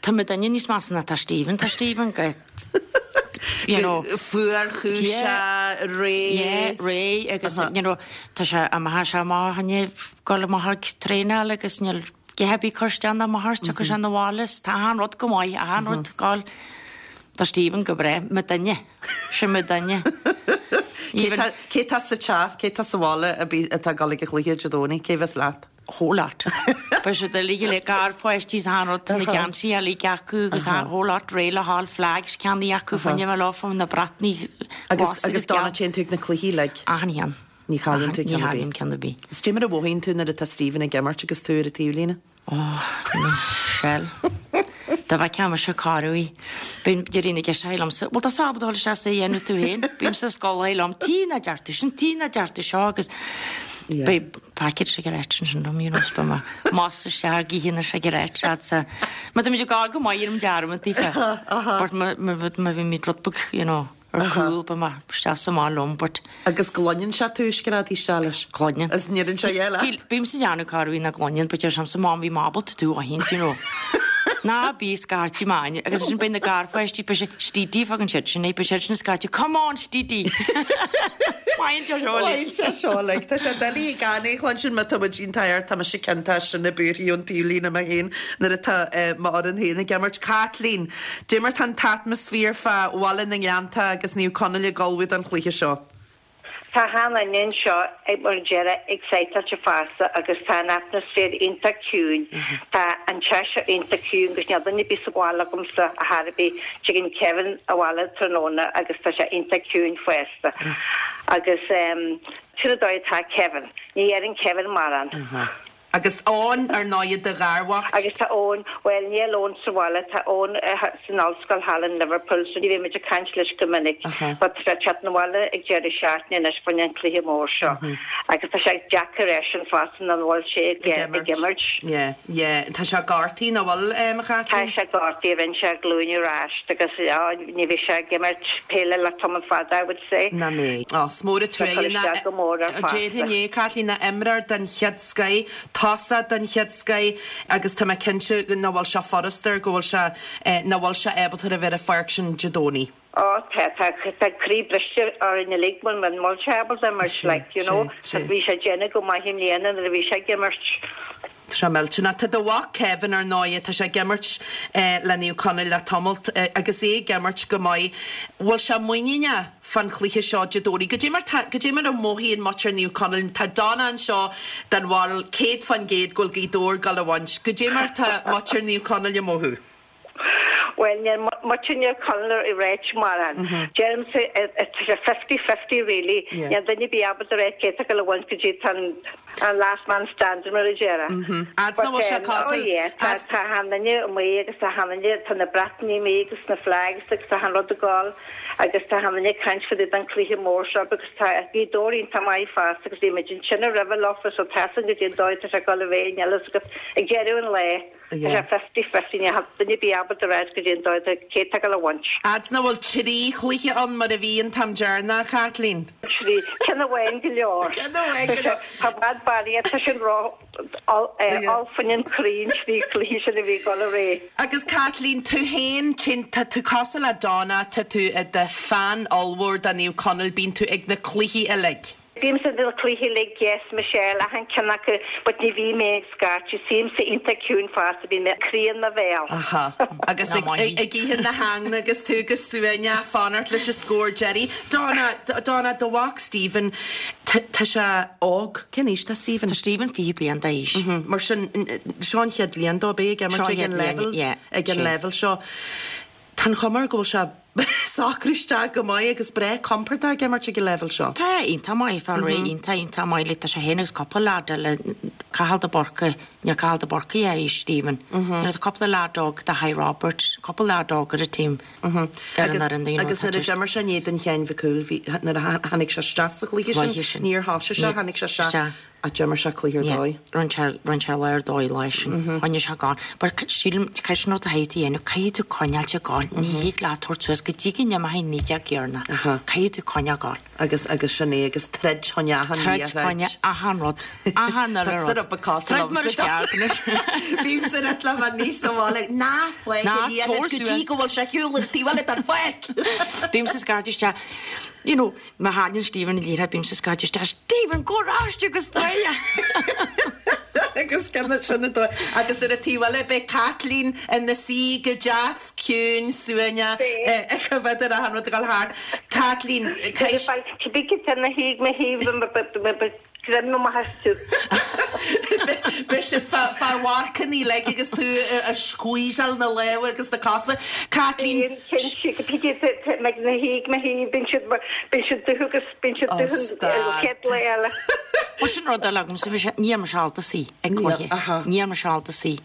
Tá muidinne níos measa ná tá Stephen, tá Stephen go, you know. Fuarchúiseach, réidh. Yeah, réidh agus, you know, tá sé amach, sé amach inniu, gul amach ag traenáil agus níl a dhath ar bith ag cur isteach ná amach air, tiocfaidh sé 'na bhaile is tá achan rud go maith, achan rud ag gabháil. Tá Stephen go breá, muidinne. Sin muidinne. Cé tá sa teach, cé tá sa bhaile atá ag dul ag an chluiche Dé Domhnaigh, cé bheas leat? Whole lot. Beidh siad uilig le garpháistí is achan rud, tá na geansaithe uilig acu agus an whole lot réidh le haghaidh flags ceannaithe acu fá choinne bheith leo na bratacha Agus agus Donna téann tú ag na cluichí uilig? Achan cheann. Ní chailleann tú ceann ar bith. Ní chaillim ceann ar bith. Is goidé mar a mhothaíonn tú nuair atá Stephen ag imirt agus tú ar an taobhlíne? Ó, Michelle. Dá bhfeicfeá mise corruair. Bíonn Daoine ag isteach liomsa, bhfuil tusa ábalta dul isteach is é a dhéanamh tú féin? Bímse ag scolladh liom, tuige nach deir tú sin, tuige nach deir tú seo agus beidh packet cigarettes ansin dom, you know, is beidh mé más isteach ag ithe na cigarettes a'dsa. Má tá muid ag gabháil go maith ar an dearmad daofa. But má bhímid rud beag, you know. ar cúl, beidh mé isteach sa mbaile liom but. Agus gcluineann sé tú screadaí isteach leis? Cluineann. Is ndeireann sé yeah leat? Bímse ag déanamh corruair nach gcluineann but deir sé liomsa Mom bhí mé ábalta tú a aithint you know. Ná bí ag scairteadh m'ainm agus ansin beidh na garpháistí, beidh sé Stevie fagan siad sin é, beidh siad sin ag scairteadh Come on Stevie! Maíonn sé seo uilig. Maíonn sé seo uilig. Tá sé doiligh gan é a chluinstin má tá muid iontach air, tá mise ciontach as sin i buarthaí ón taobhlíne mé féin nuair atá m'fhoireann féin ag imirt. Caitlín, Dé mar tá an t-atmaisféar fá Bhaile na nGleanntach agus Naomh Conaill ag ullmhú don chluiche seo? Tá achan duine anseo ag mar a déarfá excitedte fosta agus tá an atmaisféar iontach ciúin. Tá an teach seo iontach ciúin agus níl duine ar bith sa bhaile agamsa ar chor ar bith. Tigeann Kevin abhaile tráthnóna agus tá sé iontach ciúin fosta. Agus sin an dóigh atá Kevin. Ní dheireann Kevin mórán. Agus Eoin, ar ndóighe, do gharmhac. Agus tá Eoin, bhuel, níl Eoin sa bhaile, tá Eoin san ollscoil thall in Liverpool so ní bhíonn muid ag caint leis go minic. But tá sé ag teacht 'na bhaile ag deireadh seachtaine anois fá choinne an cluiche mór seo. Agus tá sé deacair eisean fosta nach bhfuil sé ag imirt. Yeah, yeah. Tá sé gortaithe, nach bhfuil, a Chaitlín? Tá sé gortaithe, rinne sé a ghlúin ar ais agus ní bheidh sé ag imirt peile le tamall fada, I would say. Nach mbeidh. Ó, is mór an Tá cur truaighe isteach go mór air fosta. Déarfainn é, Caitlín, ná imreoir den chéad scoith, tosach den chéad scoith agus tá mé cinnte nach bhfuil sé furasta air, go bhfuil sé, nach bhfuil sé ábalta a bheith ar an pháirc sin Dé Domhnaigh. Ó, tá, tá, tá croí briste orainn uilig muna bhfuil sé ábalta imirt, like, you know, bhí sé ag déanamh go maith i mbliana nuair a bhí sé ag imirt. Tá sé millteanach. Tá do mhac Kevin ar ndóighe, tá sé ag imirt le Naomh Conaill le tamalt agus é ag imirt go maith. Bhfuil sé muiníneach fán chluiche seo Dé Domhnaigh? Goidé mar tá, goidé mar a mhothaíonn muintir Naomh Conaill? Tá Donna anseo den bharúil 100% go bhfuil Gaoth Dobhair ag dul a bhaint. Goidé mar tá muintir Naomh Conaill ag mothú? Bhuel, níl muintir Naomh Conaill ag ráit mórán. Deirimse, tá sé fifty-fifty really. Níl duine ar bith ábalta a rá cé atá ag dul a bhaint go dtí tá an last man standing mar a déarfá. Fhad nach bhfuil sé Oh cosúil, yeah, tá tá achan duine amuigh agus tá achan duine, tá na bratacha amuigh agus na flags agus tá achan rud ag gabháil agus tá achan duine ag caint fá dtaobh den cluiche mór seo because tá Gaoth Dobhair iontach maith fosta agus bhí muid ansin roimhe leofa so tá 'fhios againn goidé an dóigh atá sé ag dul a bheith, níl fhios agat ag deireadh an lae. Tá sé fifty-fifty, níl duine ar bith ábalta a ráit goidé an dóigh cé atá ag dul a bhaint. Fhad nach bhfuil trí chluiche ann mar a bhí an t-am deireanach, a Chaitlín. Trí, ceann amháin go leor. Ceann amháin go leor. Tá i bhfad barraíocht, tá sin ró fá choinne an croí an trí chluiche sin a bhí ag dul ar aghaidh. Agus Caitlín, tú féin, tá tú cosúil le Donna, tá tú i do fan ollmhór de Naomh Conaill, bíonn tú ag na cluichí uilig. Bímse ag na cluichí uilig, yes Michelle, achan ceann acu, but ní bhím mé ag scairteadh, suímse iontach ciúin fosta, bíonn mé croí in mo bhéal. Aha. Agus ag ag ithe na heangna agus tú go suaimhneach fanacht leis an scór deiridh. Donna, Donna, do mhac Stephen, tá sé óg. Cén aois tá Stephen? Tá Stephen 20 bliain d'aois. Mar sin, seo an chéad bhliain dó, beidh ag imirt ag an leibhéal, ag an leibhéal seo. Tá an chuma air go bhfuil sé ag socrú isteach go maith agus breá compordach ag imirt ag an leibhéal seo. Tá, iontach maith, fáil réidh, iontach, iontach maith. Like, tá sé féin agus cúpla leaid eile, Cathal de Búrca, níl Cathal de Búrca a aois, Stephen. You know, tá cúpla leaid óg, Dáithí Roberts, cúpla leaid óg ar an team, ar an fhoireann, you know, Agus nuair a d'imir sé in éadan Sheáin Mhic Cumhaill, bhí, nuair a tháinig sé isteach sa chluiche sin, níor thosaigh sé, tháinig sé isteach. Ach d'imir sé cluiche ar dóigh. Rinne sé, rinne sé lá ar dóigh lá sin. Choinnigh sé ag gabháil. But sílim, caithfidh sin rud a chaithfidh tú a dhéanamh, caithfidh tú coinneáilt ag gabháil. Ní thig leat tabhairt suas go dtí go n-imeoidh 19 dheireanach. Caithfidh tú coinneáil ag gabháil. Agus, agus sin é, agus troid fá choinne achan Troid fá choinne achan rud. Achan uile rud. Troid mar is ceart anois. Bímse ag rá le mo niece sa bhaile, ná fág an liathróid go dtí go bhfuil sé ar shiúl an taobh eile den pháirc! Bímse ag scairteadh isteach, you know, Má thagann Stephen an liathróid bímse ag scairteadh isteach, Stephen, gabh ar ais agus faigh é! Agus sin an dóigh. Agus ar an taobh eile beidh Caitlín ina suí go deas ciúin suaimhneach ag coimhéad ar achan rud ag dul thart. Caitlín, caithfidh. Cibé cé tá ina thaobh, mo thaobh, Greim amach astu. Beidh siad fá mharcanna uilig agus tú ag squeezeáil na lámha agus na cosa. Caitlín. Bíonn siad na thaobh, mo thaobh, bíonn siad, bíonn siad dubh agus bíonn siad dubh an chéad lá eile. Bhuel sin rud eile agamsa, bhí sé, níl mise ábalta suí ag cluiche, níl mise ábalta suí.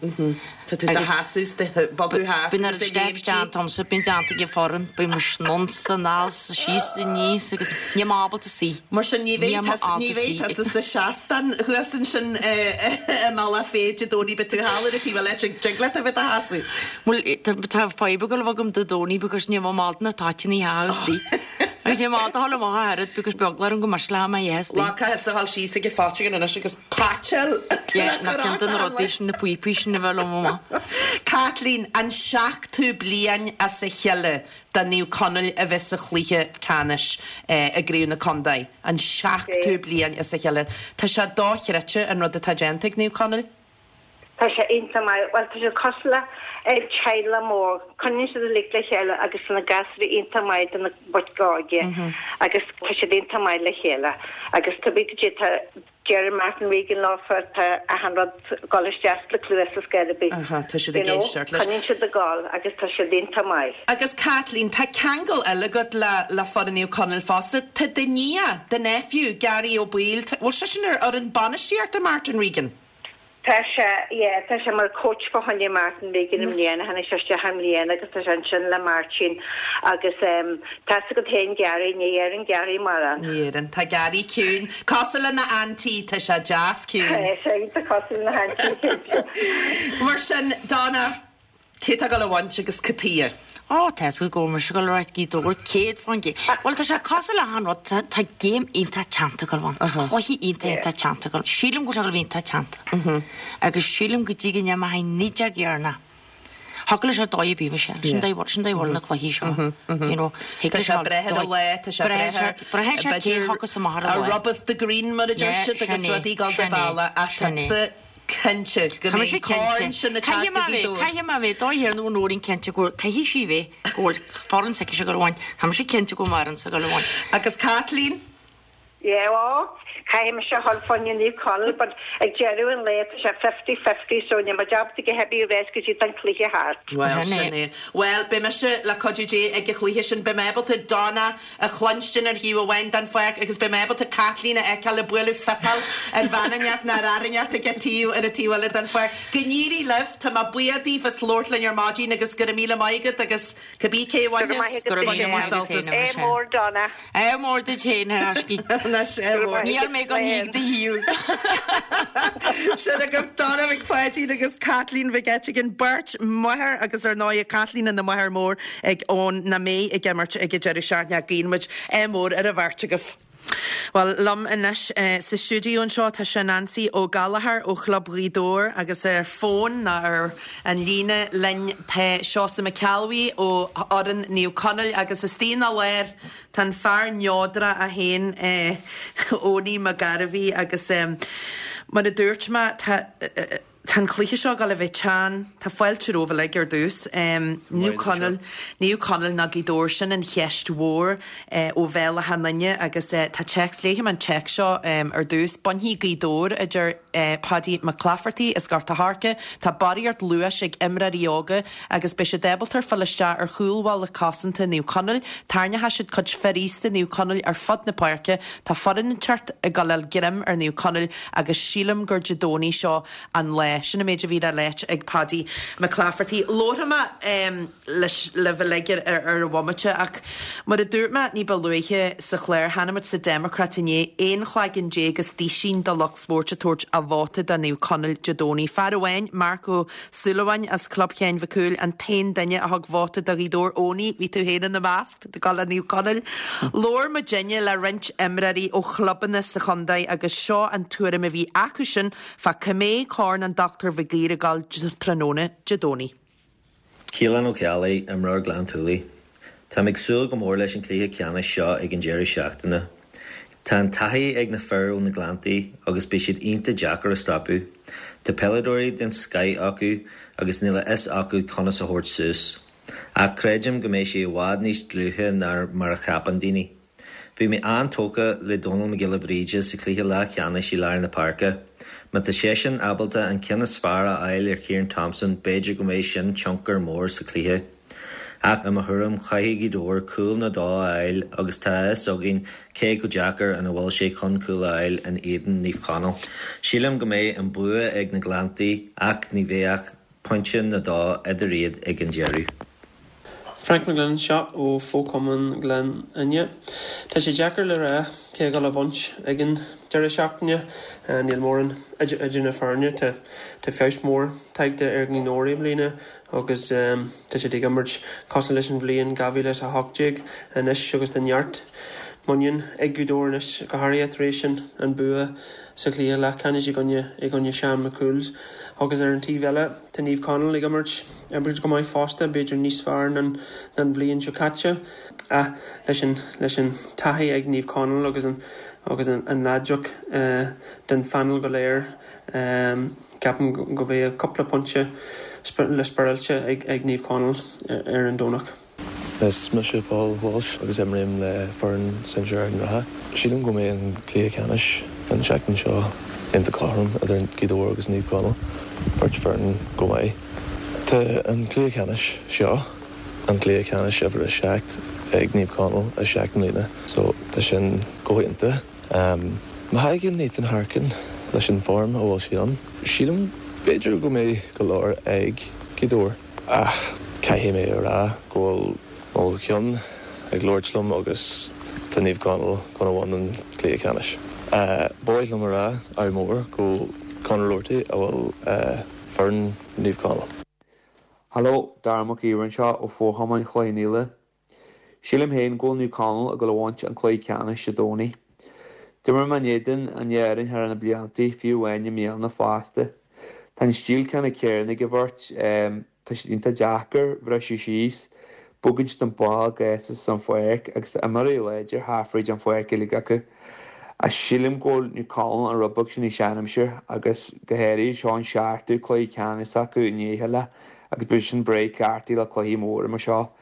Tá tú do sheasamh is do bogadh thart Bíonn agus ag léimt déanta agamsa, bíonn déanta ag an foireann, bíonn muid anonn 's anall 's síos 's aníos agus níl mé ábalta suí. Mar sin ní bheidh tusa, ní bheidh tusa sa seastán thuas ansin i mBealach Féich Dé Domhnaigh, beidh tú thall ar an taobh eile, tig leat a bheith do sheasamh. Bhuel, tá fadhb ag dul a bheith agam Dé Domhnaigh because níl mé ábalta na toiteanna a sheasamh istigh. Agus é maith do dhul amach a oiread because beag le go mba le mé yes. Lá caithfidh a dhul síos ag an pháirc anois agus paiteáil. Yeah, ná ceann de na rudaí sin, na píopaí sin a bheith liom amach. Caitlín, an seachtú bliain as a chéile do Naomh Conaill a bheith sa chluiche ceannais i gCraobh na Contae, an seachtú bliain as a chéile. Tá sé dochreidte an rud atá déanta ag Naomh Conaill. Tá sé iontach maith. Bhuel, tá siad cosúil le teaghlach mór. Coinníonn siad uilig le chéile agus tá na gasúraí iontach maith do na boic óga agus tá siad iontach maith le chéile. Agus tá big tá deir Martin Regan leofa tá achan rud ag dul isteach sna cluasa is ar bith. Aha, tá siad ag éisteacht leis. Coinníonn siad ag dul agus tá siad iontach maith. Agus Caitlín, tá ceangal eile agat le le foireann Naomh Conaill fosta. Tá do nia, do nephew, Gary Ó Baoill, bhfuil seisean ar fhoireann bainistíochta Martin Regan? Tá sé, yeah, tá sé mar coach fá choinne Martin Regan i mbliana, tháinig sé isteach i mbliana agus tá sé ansin le Máirtín agus em tá 'fhios agat féin Gary, ní deireann Gary mórán. Ní deireann. Tá Gary ciúin. Cosúil lena auntie, tá sé deas ciúin. Tá sé iontach cosúil lena auntie, cinnte. Mar sin, Donna, Cé tá ag dul a bhaint agus cad chuige? Ó, tá 'fhios agat go bhfuil mise ag dul a ráit Gaoth Dobhair 100%. Bhuel, tá sé cosúil le achan rud, tá, tá game iontach teannta ag dul ann. Tá cluiche iontach, iontach teannta ag dul. Sílim go bhfuil sé ag dul a bheith iontach teannta. Agus sílim go dtí go n-imeoidh an fheadóg dheireanach. Thiocfadh leis ar dóigh ar bith, Michelle. Sin dóigh, sin dóigh a bhfuil na cluichí seo. You know, thig Tá leis sé dul breith ar an lá, tá sé breith breith ar, braitheann sé cé b'fhéidir, thiocfas amach ar an a lá. rub of the green mar a deir Yeah, siad agus sin é, rudaí ag dul do sin é, bhealach ach sin é. tá Cinnte go Tá mbeidh mise an corn cinnte. sin ag teacht Caithfidh mé go bheith, Gaoth Dobhair. caithfidh mé bheith, dóigh ar nó an Nóirín cinnte go bhfuil, caithfidh sí bheith, go bhfuil foireann s'aici ag dul a bhaint. Tá mise cinnte go bhfuil m'fhoireann ag dul a bhaint. Agus Caitlín? Yeah, ó, caithfidh mise a dhul fá choinne Naomh Conaill but ag deireadh an lae tá sé fifty-fifty so níl mé ábalta a dhath ar bith a rá go dtí an cluiche thart. Bhuel, Sin é. sin é. Bhuel, beidh mise, le cuidiú Dé, ag an chluiche sin. Beidh mé ábalta Donna a chluinstin ar thaobh amháin den pháirc agus beidh mé ábalta Caitlín a fheiceáil ag bualadh fuipeáil ar bhean inteacht nó ar fhear inteacht ag an taobh ar an taobh eile den pháirc. Go n-éirí libh! Tá mé buíoch daoibh as labhairt linn ar maidin agus go raibh míle maith agat agus cibé cé a Go raibh maith bhainfeas, agat Go raibh míle bainigí maith agat sult féin, as. a Ádh Michelle. mór Donna. Ádh mór duit féin, a thaiscí. Anois, ádh mór. Níl mé gan thíg do shaol. Sin agaibh Donna Mhic Pháidín agus Caitlín Mhic Eiteagáin, beirt mháthair agus ar ndóigh Caitlín ina máthair mór ag Eoin nach mbeidh ag imirt ag an deireadh seachtaine. Guíonn muid ádh mór ar an bheirt agaibh. Bhuel, liom anois sa stiúideo anseo tá sé Neansaí Ó Gallchóir ó Chlub Ghaoth Dobhair agus ar fón nó ar an líne linn tá Seosamh Mac Ceallbhuí ó fhoireann Naomh Conaill agus istigh ina lár tá an fear neodrach é féin Eoiní Mac Gairbhí agus mar a dúirt mé tá Tá an cluiche seo ag dul a bheith teann. Tá fáilte romhaibh uilig ar dtús. Naomh Conaill, Naomh Conaill nó Gaoth Dobhair, sin an cheist mhór ó bhéal achan duine agus tá téacs, léifidh mé an téacs seo ar dtús. Bainfidh Gaoth Dobhair, a deir Paddy Mac Clafferty as Gort a' Choirce. Tá barraíocht luais ag imreoirí óga agus beidh siad ábalta fáil isteach ar chúlbhalla cosanta Naomh Conaill. Tarraingeoidh siad cuid fir aosta Naomh Conaill ar fud na páirce. Tá foireann inteacht ag dul a fháil greim ar Naomh Conaill agus sílim gur Dé Domhnaigh seo an lá. Sin an méid a bhí le ráit ag Paddy McClafferty. Labharfaidh mé leis libh uilig ar ar an bhomaite ach mar a dúirt mé ní ba luaithe sa chlár, chonaic muid sa Democrat inné, 11 chlaigeann is duisín de lucht spóirt ag tabhairt a vóta do Naomh Conaill Dé Domhnaigh. Fear amháin, Marc Ó Súilleabháin as Club Sheáin Mhic Cumhaill, an t-aon duine a thug vóta do Ghaoth Dobhair. Eoiní, bhí tú féin ina measc. Ag dul le Naomh Conaill. Labhair muidinne le roinnt imreoirí ó chlubanna sa chontae agus seo an tuairim a bhí acu sin fá cá mbeidh Corn an Dr Mhig Uidhir ag dul tráthnóna Dé Domhnaigh. Kealan Ó Ceallaigh, imreoir Gleann tSúilí. Táim ag súil go mór leis an cluiche ceannais seo ag an deireadh seachtaine. Tá an taithí ag na fir ó na Gleanntaí agus beidh siad iontach deacair a stopadh. Tá peileadóirí den scoith acu agus níl a fhios acu conas a thabhairt suas. Ach creidim go mbeidh sé i bhfad níos dlúithe ná mar a cheapann daoine. Bhí mé an-tógtha le Dónal Mac Giolla Bhríde sa chluiche leathcheannais i lár na páirce. Má tá seisean ábalta an ceann is fearr a fháil ar Kieran Thompson b'fhéidir go mbeidh sin tionchar mór sa chluiche. Ach i mo thuairim caithfidh Gaoth Dobhair cúl nó dó a fháil agus tá a fhios againn cé chomh deacair ina bhfuil sé chun cúl a fháil in éadan Naomh Conaill. Sílim go mbeidh an bua ag na Gleanntaí ach ní bheidh ach pointe nó dó idir iad ag an deireadh. Frank McGlynn anseo ó Fho-Chumann Ghleann Fhinne. Tá sé deacair le rá cé a ghabhfaidh a bhaint ag an deireadh seachtaine. Níl mórán idir na foirne. Tá feabhas mór tagtha ar Ghaoth Dobhair i mbliana agus tá siad ag imirt cosúil leis an bhliain 2018 anois agus tá neart muinín ag Gaoth Dobhair anois, go háirithe tar éis an bua sa chluiche leathcheannais i gcoinne i gcoinne Sean McCool's. Agus ar an taobh eile tá Naomh Conaill ag imirt imirt go maith fosta, b'fhéidir níos fearr ná an bhliain seo caite. Ach leis an leis an taithí ag Naomh Conaill agus an agus an an láidreacht den phainéal go léir, ceapaim go mbeidh cúpla pointe le spáráilte ag ag Naomh Conaill ar an Domhnach. Is mise Paul Walsh agus imrím le foireann sinsir Ard an Rátha. Sílim go mbeidh an cluiche ceannais an tseachtain seo iontach cothrom idir Gaoth Dobhair agus Naomh Conaill, beirt foireann go maith. Tá an cluiche ceannais seo an cluiche ceannais uimhir 7 ag Naomh Conaill i seacht mbliana so tá sin go hiontach. Má thagann Ethan Harkin leis an form a bhfuil sé ann, sílim b'fhéidir go mbeidh go leor ag Gaoth Dobhair. Ach caithfidh mé a rá go bhfuil mo cheann ag labhairt liom agus tá Naomh Conaill gonna bhain an cluiche ceannais. Ba mhaith liom a rá ádh mór go Conor Roarty a bhfuil foireann Naomh Conaill. Hello, Dara Mac Íomhair anseo ó Fho-Chumann Chloich Cheann Fhaola. Sílim féin go bhfuil Naomh Conaill ag dul a bhaint an cluiche ceannais Dé Domhnaigh. D'imir mé in éadan an dá fhoireann thar na bliantaí, fiú amháin i mbliana fosta. Tá an stíl ceanna céanna ag an bheirt, tá siad iontach deacair a bhriseadh síos, bogann siad an ball gasta san pháirc agus tá imreoirí láidir thart fríd an pháirc uilig acu. Ach sílim go bhfuil Naomh Conaill an rud beag sin níos seanaimsire agus go háirithe seo an seachtú cluiche ceannais acu i ndiaidh a chéile agus beidh sin breá cleachtaithe le cluichí móra mar seo.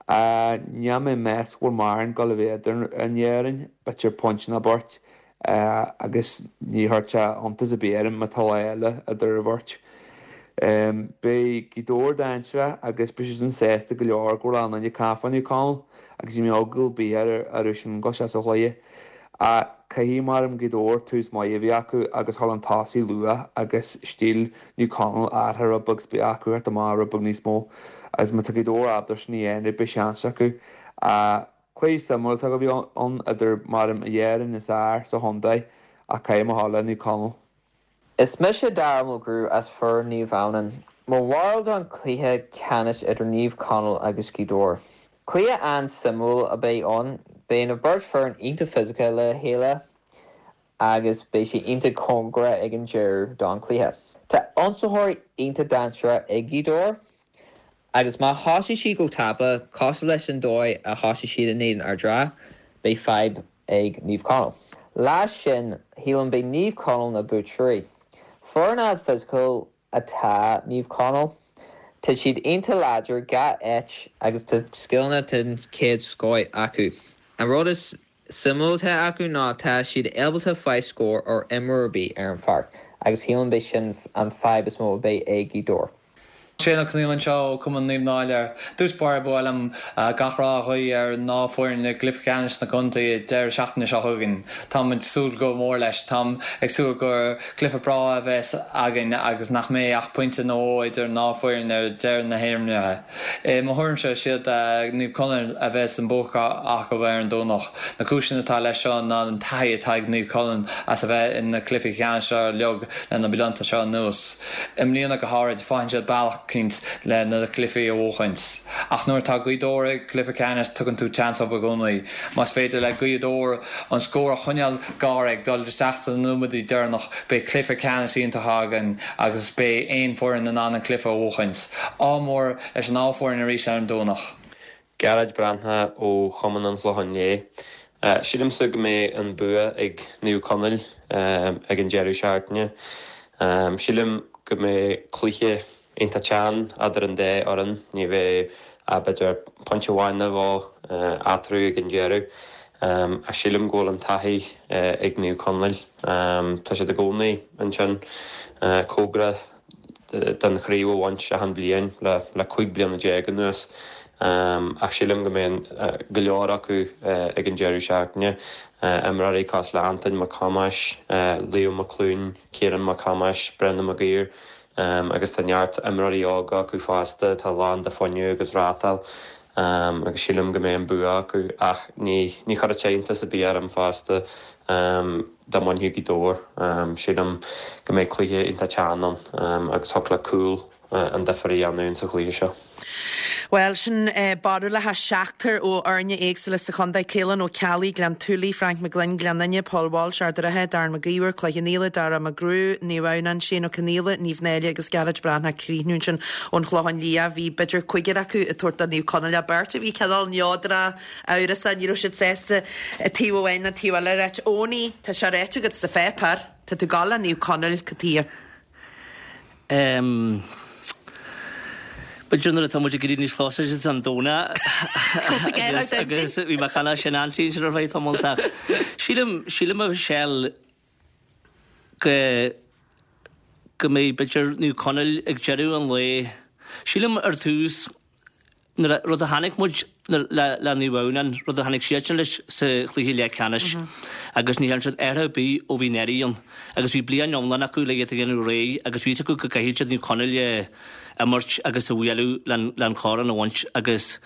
Níl mé ag meas go bhfuil mórán ag dul a bheith idir an dá fhoireann, b'fhéidir pointe nó beirt, agus ní chuirfeadh sé iontas ar bith orm má tá lá eile idir an bheirt. Beidh Gaoth Dobhair dainséarach agus beidh siad sin sásta go leor go bhfuil achan duine ag caint fá Naomh Conaill agus ní bheidh eagla ar bith orthu sin dul isteach sa chluiche. Ach caithfidh maram Gaoth Dobhair tús maith a bheith acu agus dhul chun tosaigh luath agus stíl Naomh Conaill athraithe rud beag 's beidh acu theacht amach rud beag níos mó agus má tá Gaoth Dobhair ábalta sin a dhéanamh beidh seans acu. Ach cluiche suimiúil atá a bheith ann idir maram an dá fhoireann is fhearr sa chontae ach caithfidh mé a dhul le Naomh Conaill. Is mise Dara Mulgrew as foireann Naomh Adhamhnáin. Mo bharúil don chluiche ceannais idir Naomh Conaill agus Gaoth Dobhair. Cluiche an-suimiúil a beidh ann. Beidh na beirt foireann iontach fisiciúil le chéile agus beidh sé iontach cóngarach ag an deireadh don chluiche. Tá ionsaitheoirí iontach dainséarach ag Gaoth Dobhair agus má thosaigh siad go tapa, cosúil leis an dóigh a thosaigh siad in éadan Ard Ráth, beidh fadhb ag Naomh Conaill. Leis sin, shílim beidh Naomh Conaill na buaiteoirí. Foireann an-fhisiciúil atá Naomh Conaill. Tá siad iontach láidir gach áit agus tá scileanna den chéad scoith acu. An rud is suimiúil atá acu ná tá siad ábalta fáil scór ar imreoir ar bith ar an pháirc agus shílim beidh sin an fadhb is mó a bheidh ag Gaoth Dobhair. Shane Ó Conghaile anseo ó Chumann Naomh Náille. Dtús báire ba mhaith liom gach rath a ghuí ar an dá foireann i gcluiche ceannais na gcontae an deireadh seachtaine seo chugainn. Táim ag súil go mór leis. Táim ag súil gur cluiche breá a bheas againn agus nach mbeidh ach pointe nó dhó idir an dá foireann ar deireadh na himeartha. I mo thuairimse, is iad Naomh Conaill a bheas an bua acu ar an Domhnach. Na cúiseanna atá leis seo ná an taithí atá ag Naomh Conaill as a bheith in na cluichí ceannais seo uilig le na blianta seo anuas. I mbliana go háirid, faigheann siad bealach eicínt le na cluichí a bhuachaint. Ach nuair atá Gaoth Dobhair i gcluiche ceannais, tugann tú seans dóibh i gcónaí. Más féidir le Gaoth Dobhair an scór a choinneáil gar ag dul isteach sna nóiméadaí deireanach, beidh cluiche ceannais iontach againn agus beidh aon foireann in ann an cluiche a bhuachaint. Ádh mór leis an dá foireann arís ar an Domhnach. Gearóid Breathnach ó Chumann an Chlocháin Léith. Sílimse go mbeidh an bua ag Naomh Conaill ag an deireadh seachtaine. Sílim go mbeidh cluiche iontach teann eadar an dá fhoireann. Ní bheidh ach b'fhéidir pointe amháin nó dhó eatarthu ag an deireadh. Ach sílim go bhfuil an taithí ag Naomh Conaill. Tá siad i gcónaí ansin cóngarach don chraobh a bhaint achan bhliain le 15 bliana anuas. Ach sílim go mbeidh go leor acu ag an deireadh seachtaine, imreoirí cosúil le Antoin Mac Thomáis, Leo Mac Clúin, Ciarán Mac Thomáis, Brendan Mac Uidhir agus tá neart imreoirí óga acu fosta atá lán de fuinneamh agus rátáil. Agus sílim go mbeidh an bua acu ach ní ní chuirfeadh sé iontas ar bith orm fosta dá mbainfeadh Gaoth Dobhair. Sílim go mbeidh cluiche iontach teann ann agus thiocfadh le cúl an difear a dhéanamh ins an chluiche seo. Bhuel, sin barúlacha seachtar ó fhoirne éagsúla sa chontae, Caolán Ó Ceallaigh, Gleann tSúilí, Frank McGlynn, Gleann Fhinne, Paul Walsh, Ard an Rátha, Darren Mac Íomhair, Cloich Cheann Fhaola, Dara McGrew, Naomh Adhamhnáin, Shane Ó Conaola, Naomh Náille agus Gearóid Breathnach críochnú ansin ón Chlochán Liath. Bhí b'fhéidir cúigear acu ag tabhairt do Naomh Conaill ach beirt a bhí cineál neodrach, amhrasach, ní raibh siad sásta taobh amháin ná taobh eile a ráit. Owenie, tá sé ráite agat sa pháipéar, tá tú ag gabháil le Naomh Conaill, cad chuige? Em. B'fhéidir nuair atá muid ag éirí níos closer don Domhnach agus agus bhí mé cheana sin ansin sin ar feadh tamall ach sílim sílim a Mhichelle go go mbeidh b'fhéidir Naomh Conaill ag deireadh an lae sílim ar tús Nuair a, rud a chonaic muid le, le Naomh Adhamhnáin, rud a tháinig siadsan leis sa chluiche leathcheannais agus ní dhearna siad athrú ar bith ó bhí an earraigh ann agus bhí bliain iomlán acu le iad a dhéanamh réidh agus bhí fhios acu go gcaithfidh siad Naomh Conaill a imirt agus a bhualadh len, len corn a bhaint agus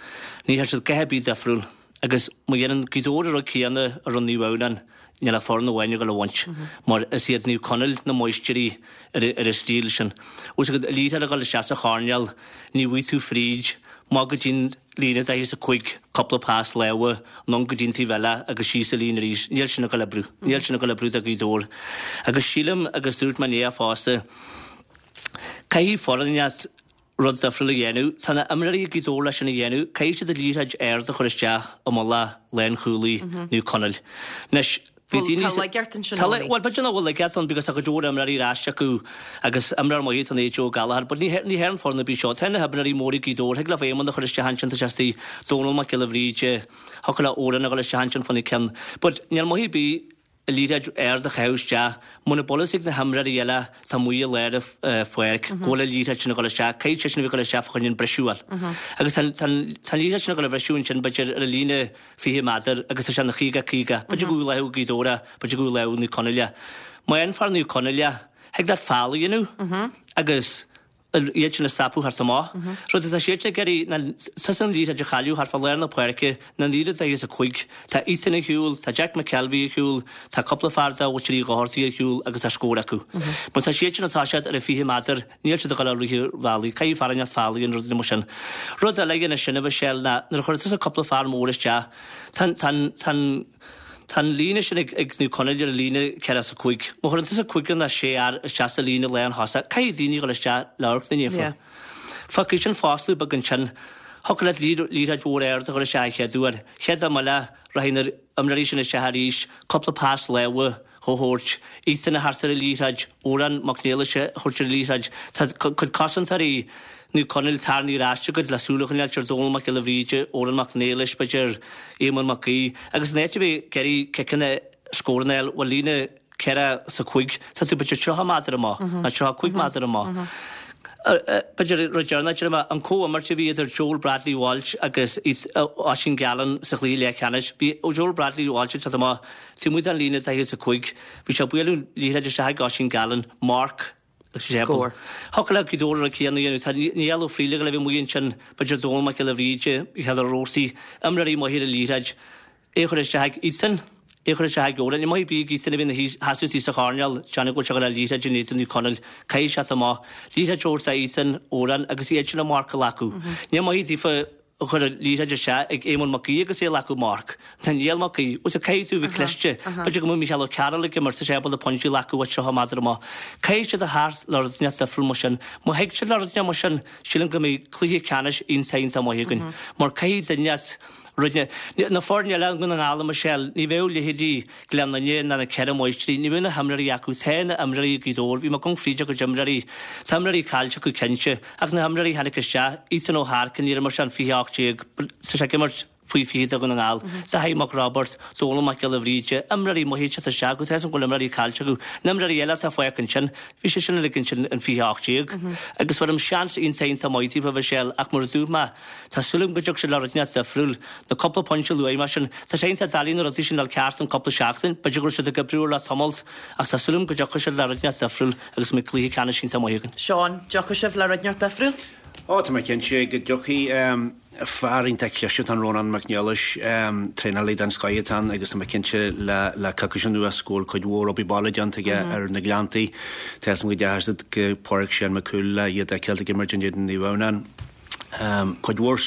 ní dhearna siad a dhath ar bith difriúil agus má dhéanann Gaoth Dobhair an rud céanna a rinne Naomh Adhamhnáin níl ach foireann amháin ag dul a bhaint mar is iad Naomh Conaill na máistirí ar an stíl sin. Bhfuil fhios agat, liathróid a dhul isteach sa choirnéal, ní bhfaighidh tú fríd, amach go dtí'n líne 45, cúpla pas láimhe, anonn go dtí'n taobh eile agus síos an líne arís. Níl sin ag dul oibriú. Níl sin ag dul oibriú do Ghaoth Dobhair. Agus sílim, agus dúirt mé inné fosta, caithfidh foireann inteacht rud difriúil a dhéanamh. Tá na imreoirí ag Gaoth Dobhair leis sin a dhéanamh. Caithfidh siad an liathróid ard a chur isteach i mullach lánchúlaí Naomh Conaill. Anois, bhí Bhuel, daoine tá sa. laigeacht ansin, Tá, Owenie. bhuel, b'fhéidir nach bhfuil laigeacht ann because tá go leor imreoirí ar ais acu agus imreoir maith atá in Joe Gallagher but ní ní théann foireann ar bith seo. Tá na himreoirí móra ag Gaoth Dobhair. Thig leofa Éamonn a chur isteach ansin, tá sé istigh, Dónal Mac Giolla Bhríde, thiocfadh le Odhrán a dhul isteach ansin fána cionn. But níl maith ar bith an liathróid ard a chaitheamh isteach. Muna bhfuil fhios ag na himreoirí eile atá amuigh i lár an pháirc go bhfuil an liathróid sin ag dul isteach, caithfidh sé sin a bheith ag dul isteach fá choinne an briseadh a fháil. Agus tá an liathróid sin ag dul a bhriseadh ansin b'fhéidir ar an líne 20 méadar agus tá sé ina 50 50. B'fhéidir go bhfuil lámh ag Gaoth Dobhair é, b'fhéidir go bhfuil lámh ag Naomh Conaill é. Má fhaigheann fear Naomh Conaill é, thig leat foul a dhéanamh agus iad sin a stopadh thart amach. Rud atá siadsan ag iarraidh ná tusa an liathróid a chailleadh thart fá lár na páirce ná an líne 45. Tá Ethan ar shiúl, tá Jack McKelvey ar shiúl, tá cúpla fear de mhuintir Uí Dhochartaigh ar shiúl agus tá scór acu. Má tá siadsan ag toiseacht ar an 20 méadar, níl siad ag dul a rith an bhealaigh. Caithfidh fear inteacht foul a dhéanamh rud mar sin. Rud eile a dhéanamh sin, a Mhichelle, ná nuair a chuireann tusa cúpla fear mór isteach, tá an, tá an, tá an, Tá an líne sin ag Naomh Conaill ar an líne 4 is 5. Má chuireann tusa cúigear nó sé fhear isteach sa líne lánthosach, caithfidh daoine a dhul isteach le amharc na naofa. Fágfaidh sin foscladh beag ansin. Thiocfadh leat liathróid mhór ard a chur isteach an chéad uair. Chéad am eile, rachaidh na imreoirí sin isteach arís, cúpla pas láimhe a thabhairt, Ethan a theacht ar an liathróid, Odhrán Mac Niallais a thabhairt ar an liathróid. Tá cuid cosantóirí Naomh Conaill tarraingthe ar ais agat le súil a choinneáilt ar Dónal Mac Giolla Bhríde, Odhrán Mac Niallais, b'fhéidir, Éamonn Mac Aoidh, agus an áit a bheidh ag iarraidh ciceanna scóranna a fháil, bhuel líne 4 is 5, tá tú b'fhéidir 30 méadar amach, nó 35 méadar amach. B'fhéidir rud deireanach, déarfaidh mé, an comhimirt a bhí idir Joel Bradley Walsh agus Oisín Gallen sa chluiche leathcheannais, bhí Joel Bradley Walsh ag teacht amach taobh amuigh den líne 45, bhí sé ag bualadh liathróid isteach ag Oisín Gallen, marc, Scór. Thiocfadh le Gaoth Dobhair an rud céanna a dhéanamh. Tá Niall Ó Frighil ag dul a bheith amuigh ansin, b'fhéidir Dónal Mac Giolla Bhríde, Micheál Ó Roarty, imreoirí maithe ar an liathróid. É a chur isteach ag Ethan, é a chur isteach ag Odhrán. Ní maith ar bith ag Ethan a bheith ina sheasamh istigh sa choirnéal, déanamh go bhfuil sé ag dul le liathróid in éadan Naomh Conaill. Caithfidh sé teacht amach. Liathróid a thabhairt do Ethan, Odhrán agus iad sin an marc a ghlacadh. Ní maith daofa a chur an liathróid isteach ag Éamonn Mac Aoidh agus é ag glacadh marc. Tá Niall Mac Aoidh, bhuel caithfidh tú a bheith cliste, b'fhéidir go mbeadh Mícheál Ó Cearúil ag imirt, tá sé ábalta pointí a ghlacadh uait 30 méadar amach. Caithfidh siad a theacht le rud inteacht difriúil mar sin. Má thig siad le rud inteacht mar sin, sílim go mbeidh cluiche ceannais iontach iontach maith againn. Mar caithfidh duine inteacht rud inteacht. Na foirne eile i nDún na nGall, a Michelle, ní bheadh leithéidí Gleann Fhinne ná na Ceithre Máistrí, ní bheadh na himreoirí acu. Tá na himreoirí ag Gaoth Dobhair, bhí mé ag amharc fríd a gcuid imreoirí. Tá imreoirí caillte acu cinnte, ach na himreoirí a tháinig isteach, Ethan Ó hEarcain, níor imir sé an 2018, tá sé ag imirt faoi 20 do Dhún na nGall, Dáithí Mac Roibeaird, Dónal Mac Giolla Bhríde, imreoirí maithe ag teacht isteach acu, tá a fhios agam go bhfuil imreoirí caillte acu. Na imreoirí eile atá fágtha ansin, bhí sé sin uilig ansin in 2018. Agus bheirim seans iontach iontach maith daofa, a Mhichelle, ach mar a dúirt mé, Tá súil agam go dtiocfaidh siad le rud inteacht difriúil. Na cúpla pointe a luaigh mé sin, tá sé iontach doiligh na rudaí sin a fháil ceart in cúpla seachtain. B'fhéidir go raibh siad ag oibriú air le tamalt ach tá súil agam go dtiocfaidh siad le rud inteacht difriúil agus go mbeidh cluiche ceannais iontach maith againn. Seán, dtiocfaidh sibh le rud inteacht difriúil? Ó, tá mé cinnte go dtiocfaidh. Fear iontach cliste atá in Rónán Mac Niallais, traenálaí den scoith atá ann agus tá mé cinnte le coicís anuas go bhfuil cuid mhór obair baile déanta aige ar na Gleanntaí. Tá 'fhios a'm go ndeachaigh siad go Páirc Seán Mac Cumhaill le iad a fheiceáilt ag imirt in éadan Naomh Adhamhnáin. Cuid mhór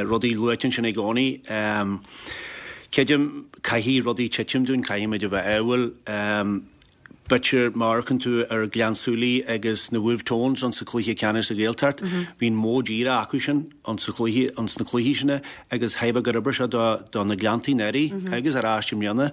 rudaí luaite ansin ag Eoiní. Creidim, caithfidh rudaí titim dúinn, caithfimid a bheith ádhúil. B'fhéidir má amharcann tú ar Gleann tSúilí agus na Wolfe Tones ins an chluiche ceannais sa Ghaeltacht, bhí an modh díreach acu sin ins sa chluiche, ins na cluichí sin agus theifeadh gur oibir sé do, do na Gleanntaí anuraidh agus ar ais i mbliana.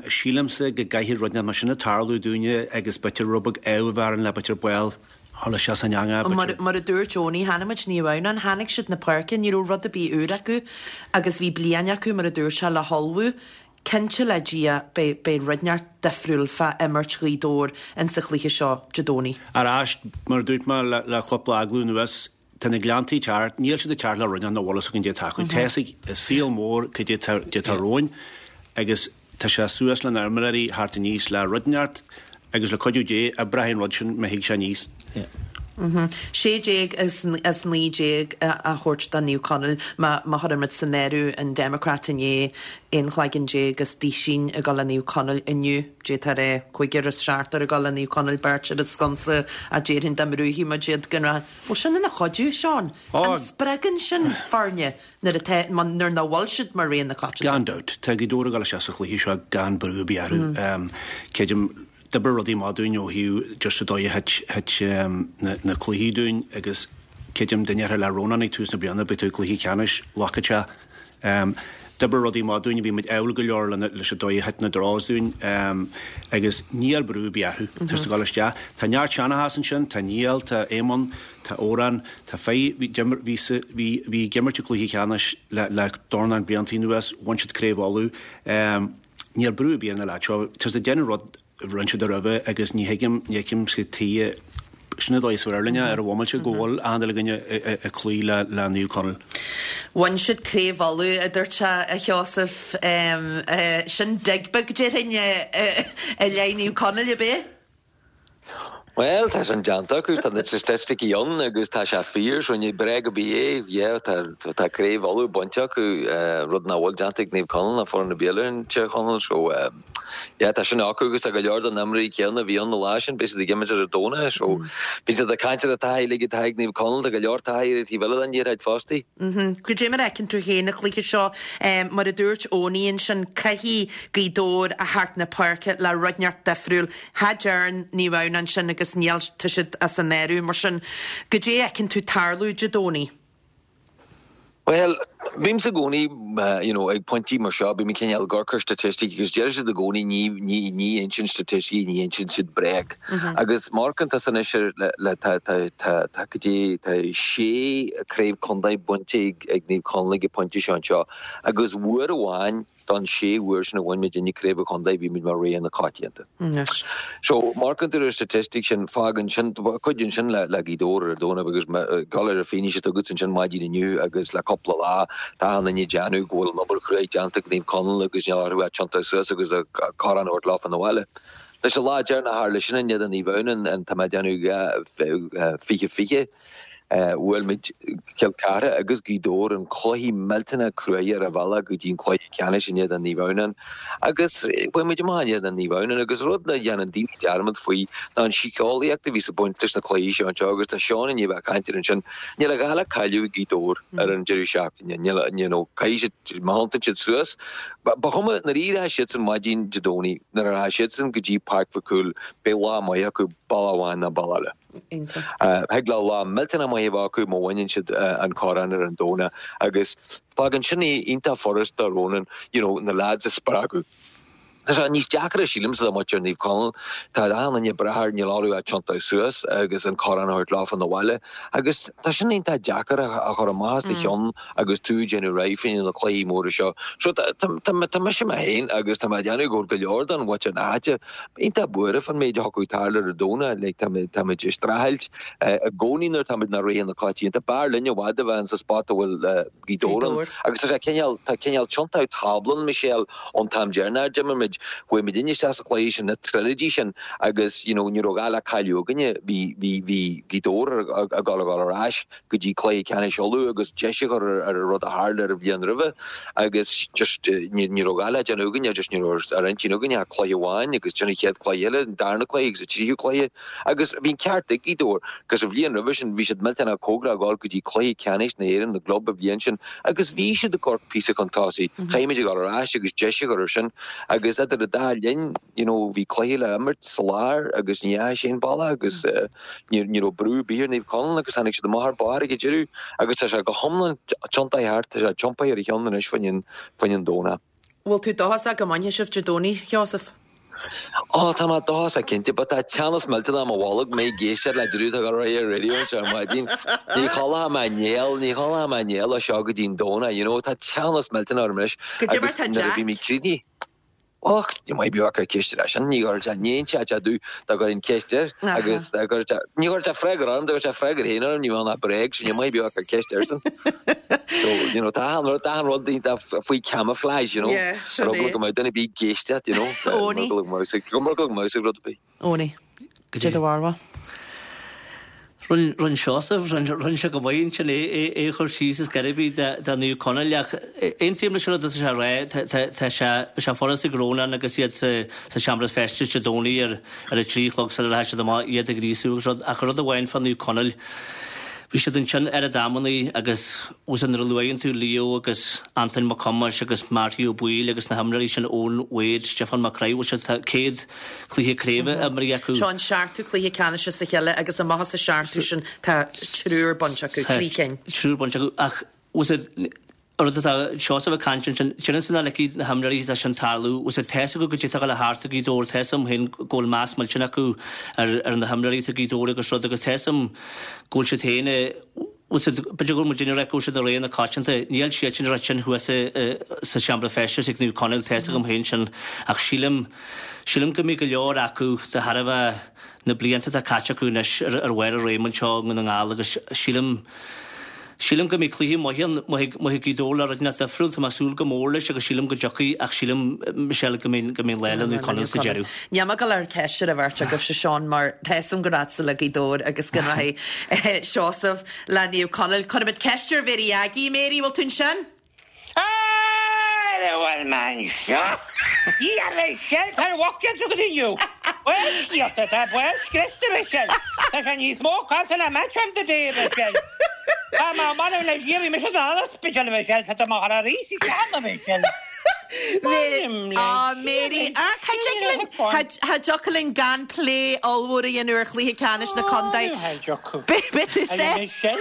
Sílimse go gcaithfidh rud mar sin a tarlú dúinne agus b'fhéidir rud beag ádh a bheith orainn le b'fhéidir ball a dhul isteach san eangach, b'fhéidir. Mar a dúirt Eoiní, chonaic muid Naomh Adhamhnáin, tháinig siad na páirce, ní raibh rud ar bith úr acu agus bhí bliain acu, mar a dúirt sé, le hullmhú. Cinnte le Dia beidh beidh rud inteacht difriúil fá imirt Ghaoth Dobhair insa chluiche seo Dé Domhnaigh. Ar ais, mar a dúirt mé le cúpla agallamh anuas, tá na Gleanntaí ag teacht, níl siad ag teacht le rud nach bhfuil fhios againn cad é atá acu. Tá fhios ag an saol mór cad é atá romhainn agus tá sé suas le na imreoirí theacht aníos le rud inteacht Agus le cuidiú Dé, oibreoidh an rud sin má thig sé aníos. 16 as 19 a thabhairt do Naomh Conaill má chuireann muid san áireamh an Democrat inné, aon chloigeann déag is duisín ag dul le Naomh Conaill inniu, d'fhéadfá a rá cúigear is seachtar ag dul le Naomh Conaill, beirt ar an sconsa a déarfainn dá mbrúfaidh muid iad gan rath. Bhfuil sin ina chuidiú, Seán? An spreagann sin foirne nuair atá, nuair nach bhfuil siad mar rogha na coitianta. Gan dabht. Tá Gaoth Dobhair ag dul isteach sa chluiche seo gan brú ar bith orthu. Creidim, d'oibrigh rudaí maith dúinn ó thaobh just an dóigh a thit na cluichí dúinn agus creidim dá ndéarfá le Rónán ag tús na bliana beidh tú i gcluiche ceannais, look at ya. D'oibrigh rudaí maith dúinn, bhí muid ádhúil go leor leis an dóigh a thit na draws dúinn agus níl brú ar bith orthu. Tá siad ag dul isteach. Tá neart seanachas ansin, tá Niall, tá Éamonn, Tá Odhrán, tá Fay, bhí, bhí, bhí, bhí ag imirt i gcluiche ceannais le, le dornán blianta anuas, bhain siad Craobh Uladh. Níl brú ar bith ar na leaids seo. Tá siad ag déanamh rud a rinne siad roimhe agus ní thuigim, ní fheicim cad tuige, sin an dóigh is fearr linn é ar an bhomaite go bhfuil achan uile dhuine ag cloí le, le Naomh Conaill. Bhain siad Craobh Uladh, a dúirt sé, a Sheosaimh. Sin dig beag, déarfainn, i leith Naomh Conaill, ab ea? Bhuel, tá sin déanta acu, tá na staitisticí ann agus tá sé fíor, so ní bréag ar bith é. Yeah, tá, tá Craobh Uladh bainte acu, rud nach bhfuil déanta ag Naomh Conaill ná foireann ar bith eile in Tír Chonaill, so yeah, tá sin acu agus tá go leor de na imreoirí céanna a bhí ann an lá sin, beidh siad ag imirt ar an Domhnach, so bíonn siad ag caint ar an taithí uilig atá ag Naomh Conaill, tá go leor taithí ar an taobh eile den liathróid fosta. Cad é mar a fheiceann tú féin an cluiche seo? Mar a dúirt Eoiní ansin, caithfidh Gaoth Dobhair a theacht na páirce le rud inteacht difriúil. Cha dtearn Naomh Adhamhnáin ansin agus níl, tá siad as an áireamh. Mar sin, cad é a fheiceann tú tarlú Dé Domhnaigh? Bhuel, bímse i gcónaí, you know, ag pointí mar seo, bím cineál ag amharc ar staitisticí agus deir siad i gcónaí ní, ní, ní insíonn staitisticí, ní insíonn siad bréag. Agus má amharcann tusa anois ar, le, le, tá, tá, tá, tá cad é, tá sé craobh contae bainte ag, ag Naomh Conaill ag an pointe seo anseo agus uair amháin, Den sé uair sin a bhain muidinne craobh an chontae bhí muid mar rogha na coitianta. So, má amharcann tú ar an statistic sin, fágann sin, cuidíonn sin le Gaoth Dobhair ar an Domhnach agus ag dul ar an fianaise atá agat ansin maidin inniu agus le cúpla lá, tá achan duine ag déanamh go bhfuil an obair chruaidh déanta ag Naomh Conaill agus níl orthu ach tiontú suas agus an corn a thabhairt leofa 'na bhaile. Leis an lá deireanach a tharla sin in éadan Naomh Adhamhnáin, tá mé ag déanamh 20 20. Bhuail muid Cill Chartha agus Gaoth Dobhair in cluichí millteanach cruaidh ar an bhealach go dtí an cluiche ceannais in éadan Naomh Adhamhnáin agus bhuaigh muid amach in éadan Naomh Adhamhnáin agus rud a dhéanann daoine dearmad faoi ná an síceolaíocht a bhí ag baint leis na cluichí seo anseo agus tá Seán i ndiaidh a bheith ag caint air ansin. Níl a dhath le cailleadh ag Gaoth Dobhair ar an deireadh seachtaine. Níl, you know, caithfidh siad, má thiontaíonn siad suas, ba chuma nuair a rachaidh siadsan maidin Dé Domhnaigh, nuair a rachaidh siadsan go dtí Páirc Mhic Cumhaill, beidh lá maith acu, bealach amháin nó bealach eile. Thig leo lá millteanach maith a bheith acu má bhaineann siad an corn ar an Domhnach agus fágann sin é iontach furast do Ronan you know na lads a spreagadh. Tá sé níos deacra sílimse do mhuintir Naomh Conaill. Tá achan duine ag brath air, níl orthu ach tiontú suas agus an corn a thabhairt leofa 'na bhaile agus tá sin iontach deacair a chur amach as do cheann agus tú ag déanamh réidh fá choinne na cluichí móra seo. So tá mise mé féin agus tá mé ag déanamh go bhfuil go leor den mhuintir na háite iontach buartha fán méid a thiocfadh tarlú ar an Domhnach. Like, táimid, táimid ag streachailt i gcónaí nuair táimid inár rogha na coitianta. B'fhearr linn i bhfad a bheith insa spot a bhfuil Gaoth Dobhair ann. Agus tá sé cineál, tá cineál tiontú tábla ann, Michelle, ón t-am deireanach a d'imir muid. muid, chuaigh muidinne isteach sa chluiche sin, na triolóidí sin agus you know ní raibh a dhath le cailleadh againne, bhí, bhí, bhí Gaoth Dobhair ag dul a dhul ar ais go dtí cluiche ceannais Uladh agus deis a chur ar an rud a tharla ar an bhliain roimhe agus just ní, ní raibh a dhath le déanamh againne, just ní raibh ar intinn againne ach cluiche amháin agus sin an chéad cluiche eile, an darna cluiche agus an tríú cluiche. Agus bhí an ceart ag Gaoth Dobhair, 'cause an bhliain roimhe sin bhí siad millteanach cóngarach a dhul go dtí cluiche ceannais na hÉireann na gclub an bhliain sin agus bhí siad ag amharc píosa chun tosaigh. Caithfimid a dhul ar ais agus deis a chur ar sin. Agus idir an dá linn, you know, bhí cluiche le imirt sa lár agus ní dheachaigh sé an bealach agus ní ní raibh brú ar bith ar Naomh Conaill agus tháinig siad amach ar barr ag an deireadh agus tá sé go hiomlán tiontaithe thart, tá sé tiompaithe ar a cheann anois faoin faoin an Domhnach. Bhfuil tú dóchasach go mbainfidh sibh Dé Domhnaigh, Sheosamh? Ó, tá mé dóchasach cinnte, but tá teannas millteanach i mo bholg, mé ag éisteacht le deireadh tá go raibh ar radio anseo ar maidin. Ní chodlóidh mé néal, ní chodlóidh mé néal ó seo go dtí an Domhnach, you know, tá teannas millteanach orm anois. Goidé mar tá Agus nuair a bhí mé Jack? críochnaithe, Och, ní maith beo acu ceist ar sin, ní chuirfeadh sé, ní inseodh sé domh dá gcuirfinn ceist air agus dá gcuirfeadh sé, ní chuirfeadh sé freagra orm, dá gcuirfeadh sé freagra féin orm, ní bheadh ach bréag, so ní maith beo acu ceist airsean. So, you know, tá achan rud, tá achan rud iontach faoi camouflage, you know. Yeah, sin Ar eagla é. go mbeadh duine ar bith ag éisteacht, you know. Eoiní. Ar eagla go mbeadh, go mbeadh rud ar bith. Eoiní. Goidé do bharúil. Rinne Seosamh, rinne sé go maith ansin é a chur síos is gairbí do Naomh Conaill ach aontaím leis an rud atá sé a rá, tá sé, beidh sé furast ag Rónán agus iad sa seomra feistis Dé Domhnaigh ar ar a 3 a chlog sula rachaidh siad amach iad a ghríosú agus rud ach rud amháin fá Naomh Conaill, bhí siad ansin oiread amannaí agus bhfuil 's nuair a luaigheann tú Leo agus Antoin Mac Thomáis agus Marty Ó Baoill agus na himreoirí sin, Eoin Wade, Stiofán Mac Craith, bhfuil siad, tá 100 cluiche craoibhe imrithe acu. Seo an seachtú cluiche ceannais as a chéile agus amach as an seachtú sin tá triúr bainte acu, trí cinn. Triúr bainte acu ach bhfuil 's a'd an rud atá Seosamh ag caint ansin, déarfainnse nach ligfidh na himreoirí dó sin tarlú, bhfuil 's a'd tá's acu goidé atá ag dul thart i Gaoth Dobhair, tá's a'm féin go bhfuil meas millteanach acu ar ar na himreoirí atá i Gaoth Dobhair agus rud agus tá's a'm go bhfuil siad féin i Bhfuil 's a'd, b'fhéidir go bhfuil muidinne ag rá go bhfuil siad i ré na coitianta. Níl siad sin ag rá sin thuas sa seomra feistis ag Naomh Conaill, tá's agam féin sin, ach sílim, sílim go mbeidh go leor acu de thairbhe na blianta atá caite acu anois ar bharr a réime anseo i nDún na nGall agus sílim, sílim go mbeidh cluiche maith ann, maith ag Gaoth Dobhair le rud inteacht difriúil, tá mé ag súil go mór leis agus sílim go dtiocfaidh ach sílim, Michelle, go mbeidh, go mbeidh an lá le Naomh Conaill sa deireadh. Níl mé ag dul a chur ceist ar an bheirt agaibhse, Seán, mar tá 'fhios a'm go raghadsa le Gaoth Dobhair agus go rachaidh Seosamh le Naomh Conaill. Cuirfimid ceist ar Mhéirí Aggie. Mary, bhfuil tú ansin? Ara bhfuil mé anseo? Dia a Mhichelle, tá an mhuc déanta agat inniu. Bhuel, scéalta, tá baol scriosta, a Mhichelle. Tá sé níos mó cás ná match of the day, a Mhichelle. Tá mé m'anam le Dia, bhí mise san ospidéal, a Mhichelle, tá tú mo chur arís isteach ann, a Mhichelle. Á, Mary, á, cha dtig linn, cha dtiocfadh linn gan plé ollmhór a dhéanamh ar chluiche ceannais na contae. Beidh tú sásta.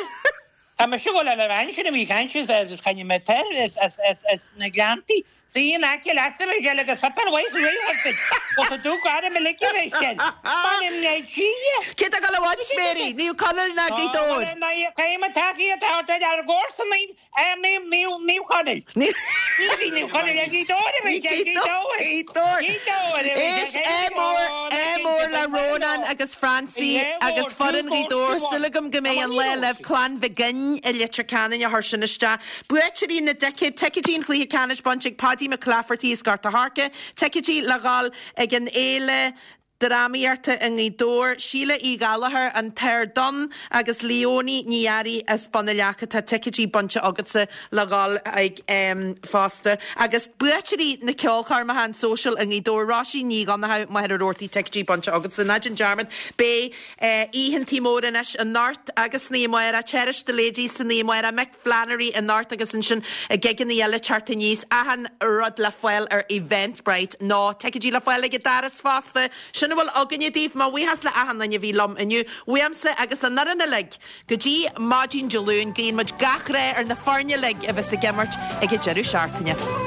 Tá mise ag dul ar an bhean sin a bhí ag caint as Cainne Metair as na Gleanntaí. Suí in aice leatsa, a Mhichelle, agus suipéar mhaith réidh ort. Bhfuil tú dubh gairid uilig, a Mhichelle. M'anam le Dia. Cé atá ag dul a bhaint, Mary? Naomh Conaill ná Gaoth Dobhair? Caithfidh mé tacaíocht a thabhairt dár gcomharsanaí. Naomh Conaill. Ní Naomh Conaill ag Gaoth Dobhair a Mhichelle, Gaoth Dobhair. Gaoth Dobhair. Gaoth Dobhair. Éist, ádh mór, ádh mór le Rónán agus Francie agus foireann Ghaoth Dobhair. Súil agam go mbeidh an lá libh. Clann Mhig Fhinn i Leitir Ceanainn a chuir sin isteach. Buaiteoirí na dticéad, ticéidí an chluiche ceannais bainte ag Paudie Mac Laifeartaigh as Gort a' Choirce, ticéidí le dhul ag an fhéile Drámaíochta i nGaoth Dobhair, Síle Uí Ghallchóir, An tOrd Donn agus Leonie Ní Fhearraigh as Bun na Leaca. Tá ticéidí bainte agatsa le dhul ag fosta. Agus buaiteoirí na ceolchoirmeacha, an Social i nGaoth Dobhair, Róisín Ní Dhonnchadha, Machaire Rabhartaigh, ticéidí bainte agatsa. Ná déan dearmad, beidh oícheantaí móra anois anocht agus san oíche amárach, Cherish the Ladies san oíche amárach, Mick Flannery anocht agus ansin gigeanna eile teacht aníos, achan rud le fáil ar Eventbrite nó ticéidí le fáil ag an doras fosta. Sin a bhfuil againne daoibh. Mo bhuíochas le achan duine a bhí liom inniu. Uaimse agus an fhoireann uilig go dtí maidin Dé Luain, guíonn muid gach rath ar na foirne uilig a bheas ag imirt ag an deireadh seachtaine.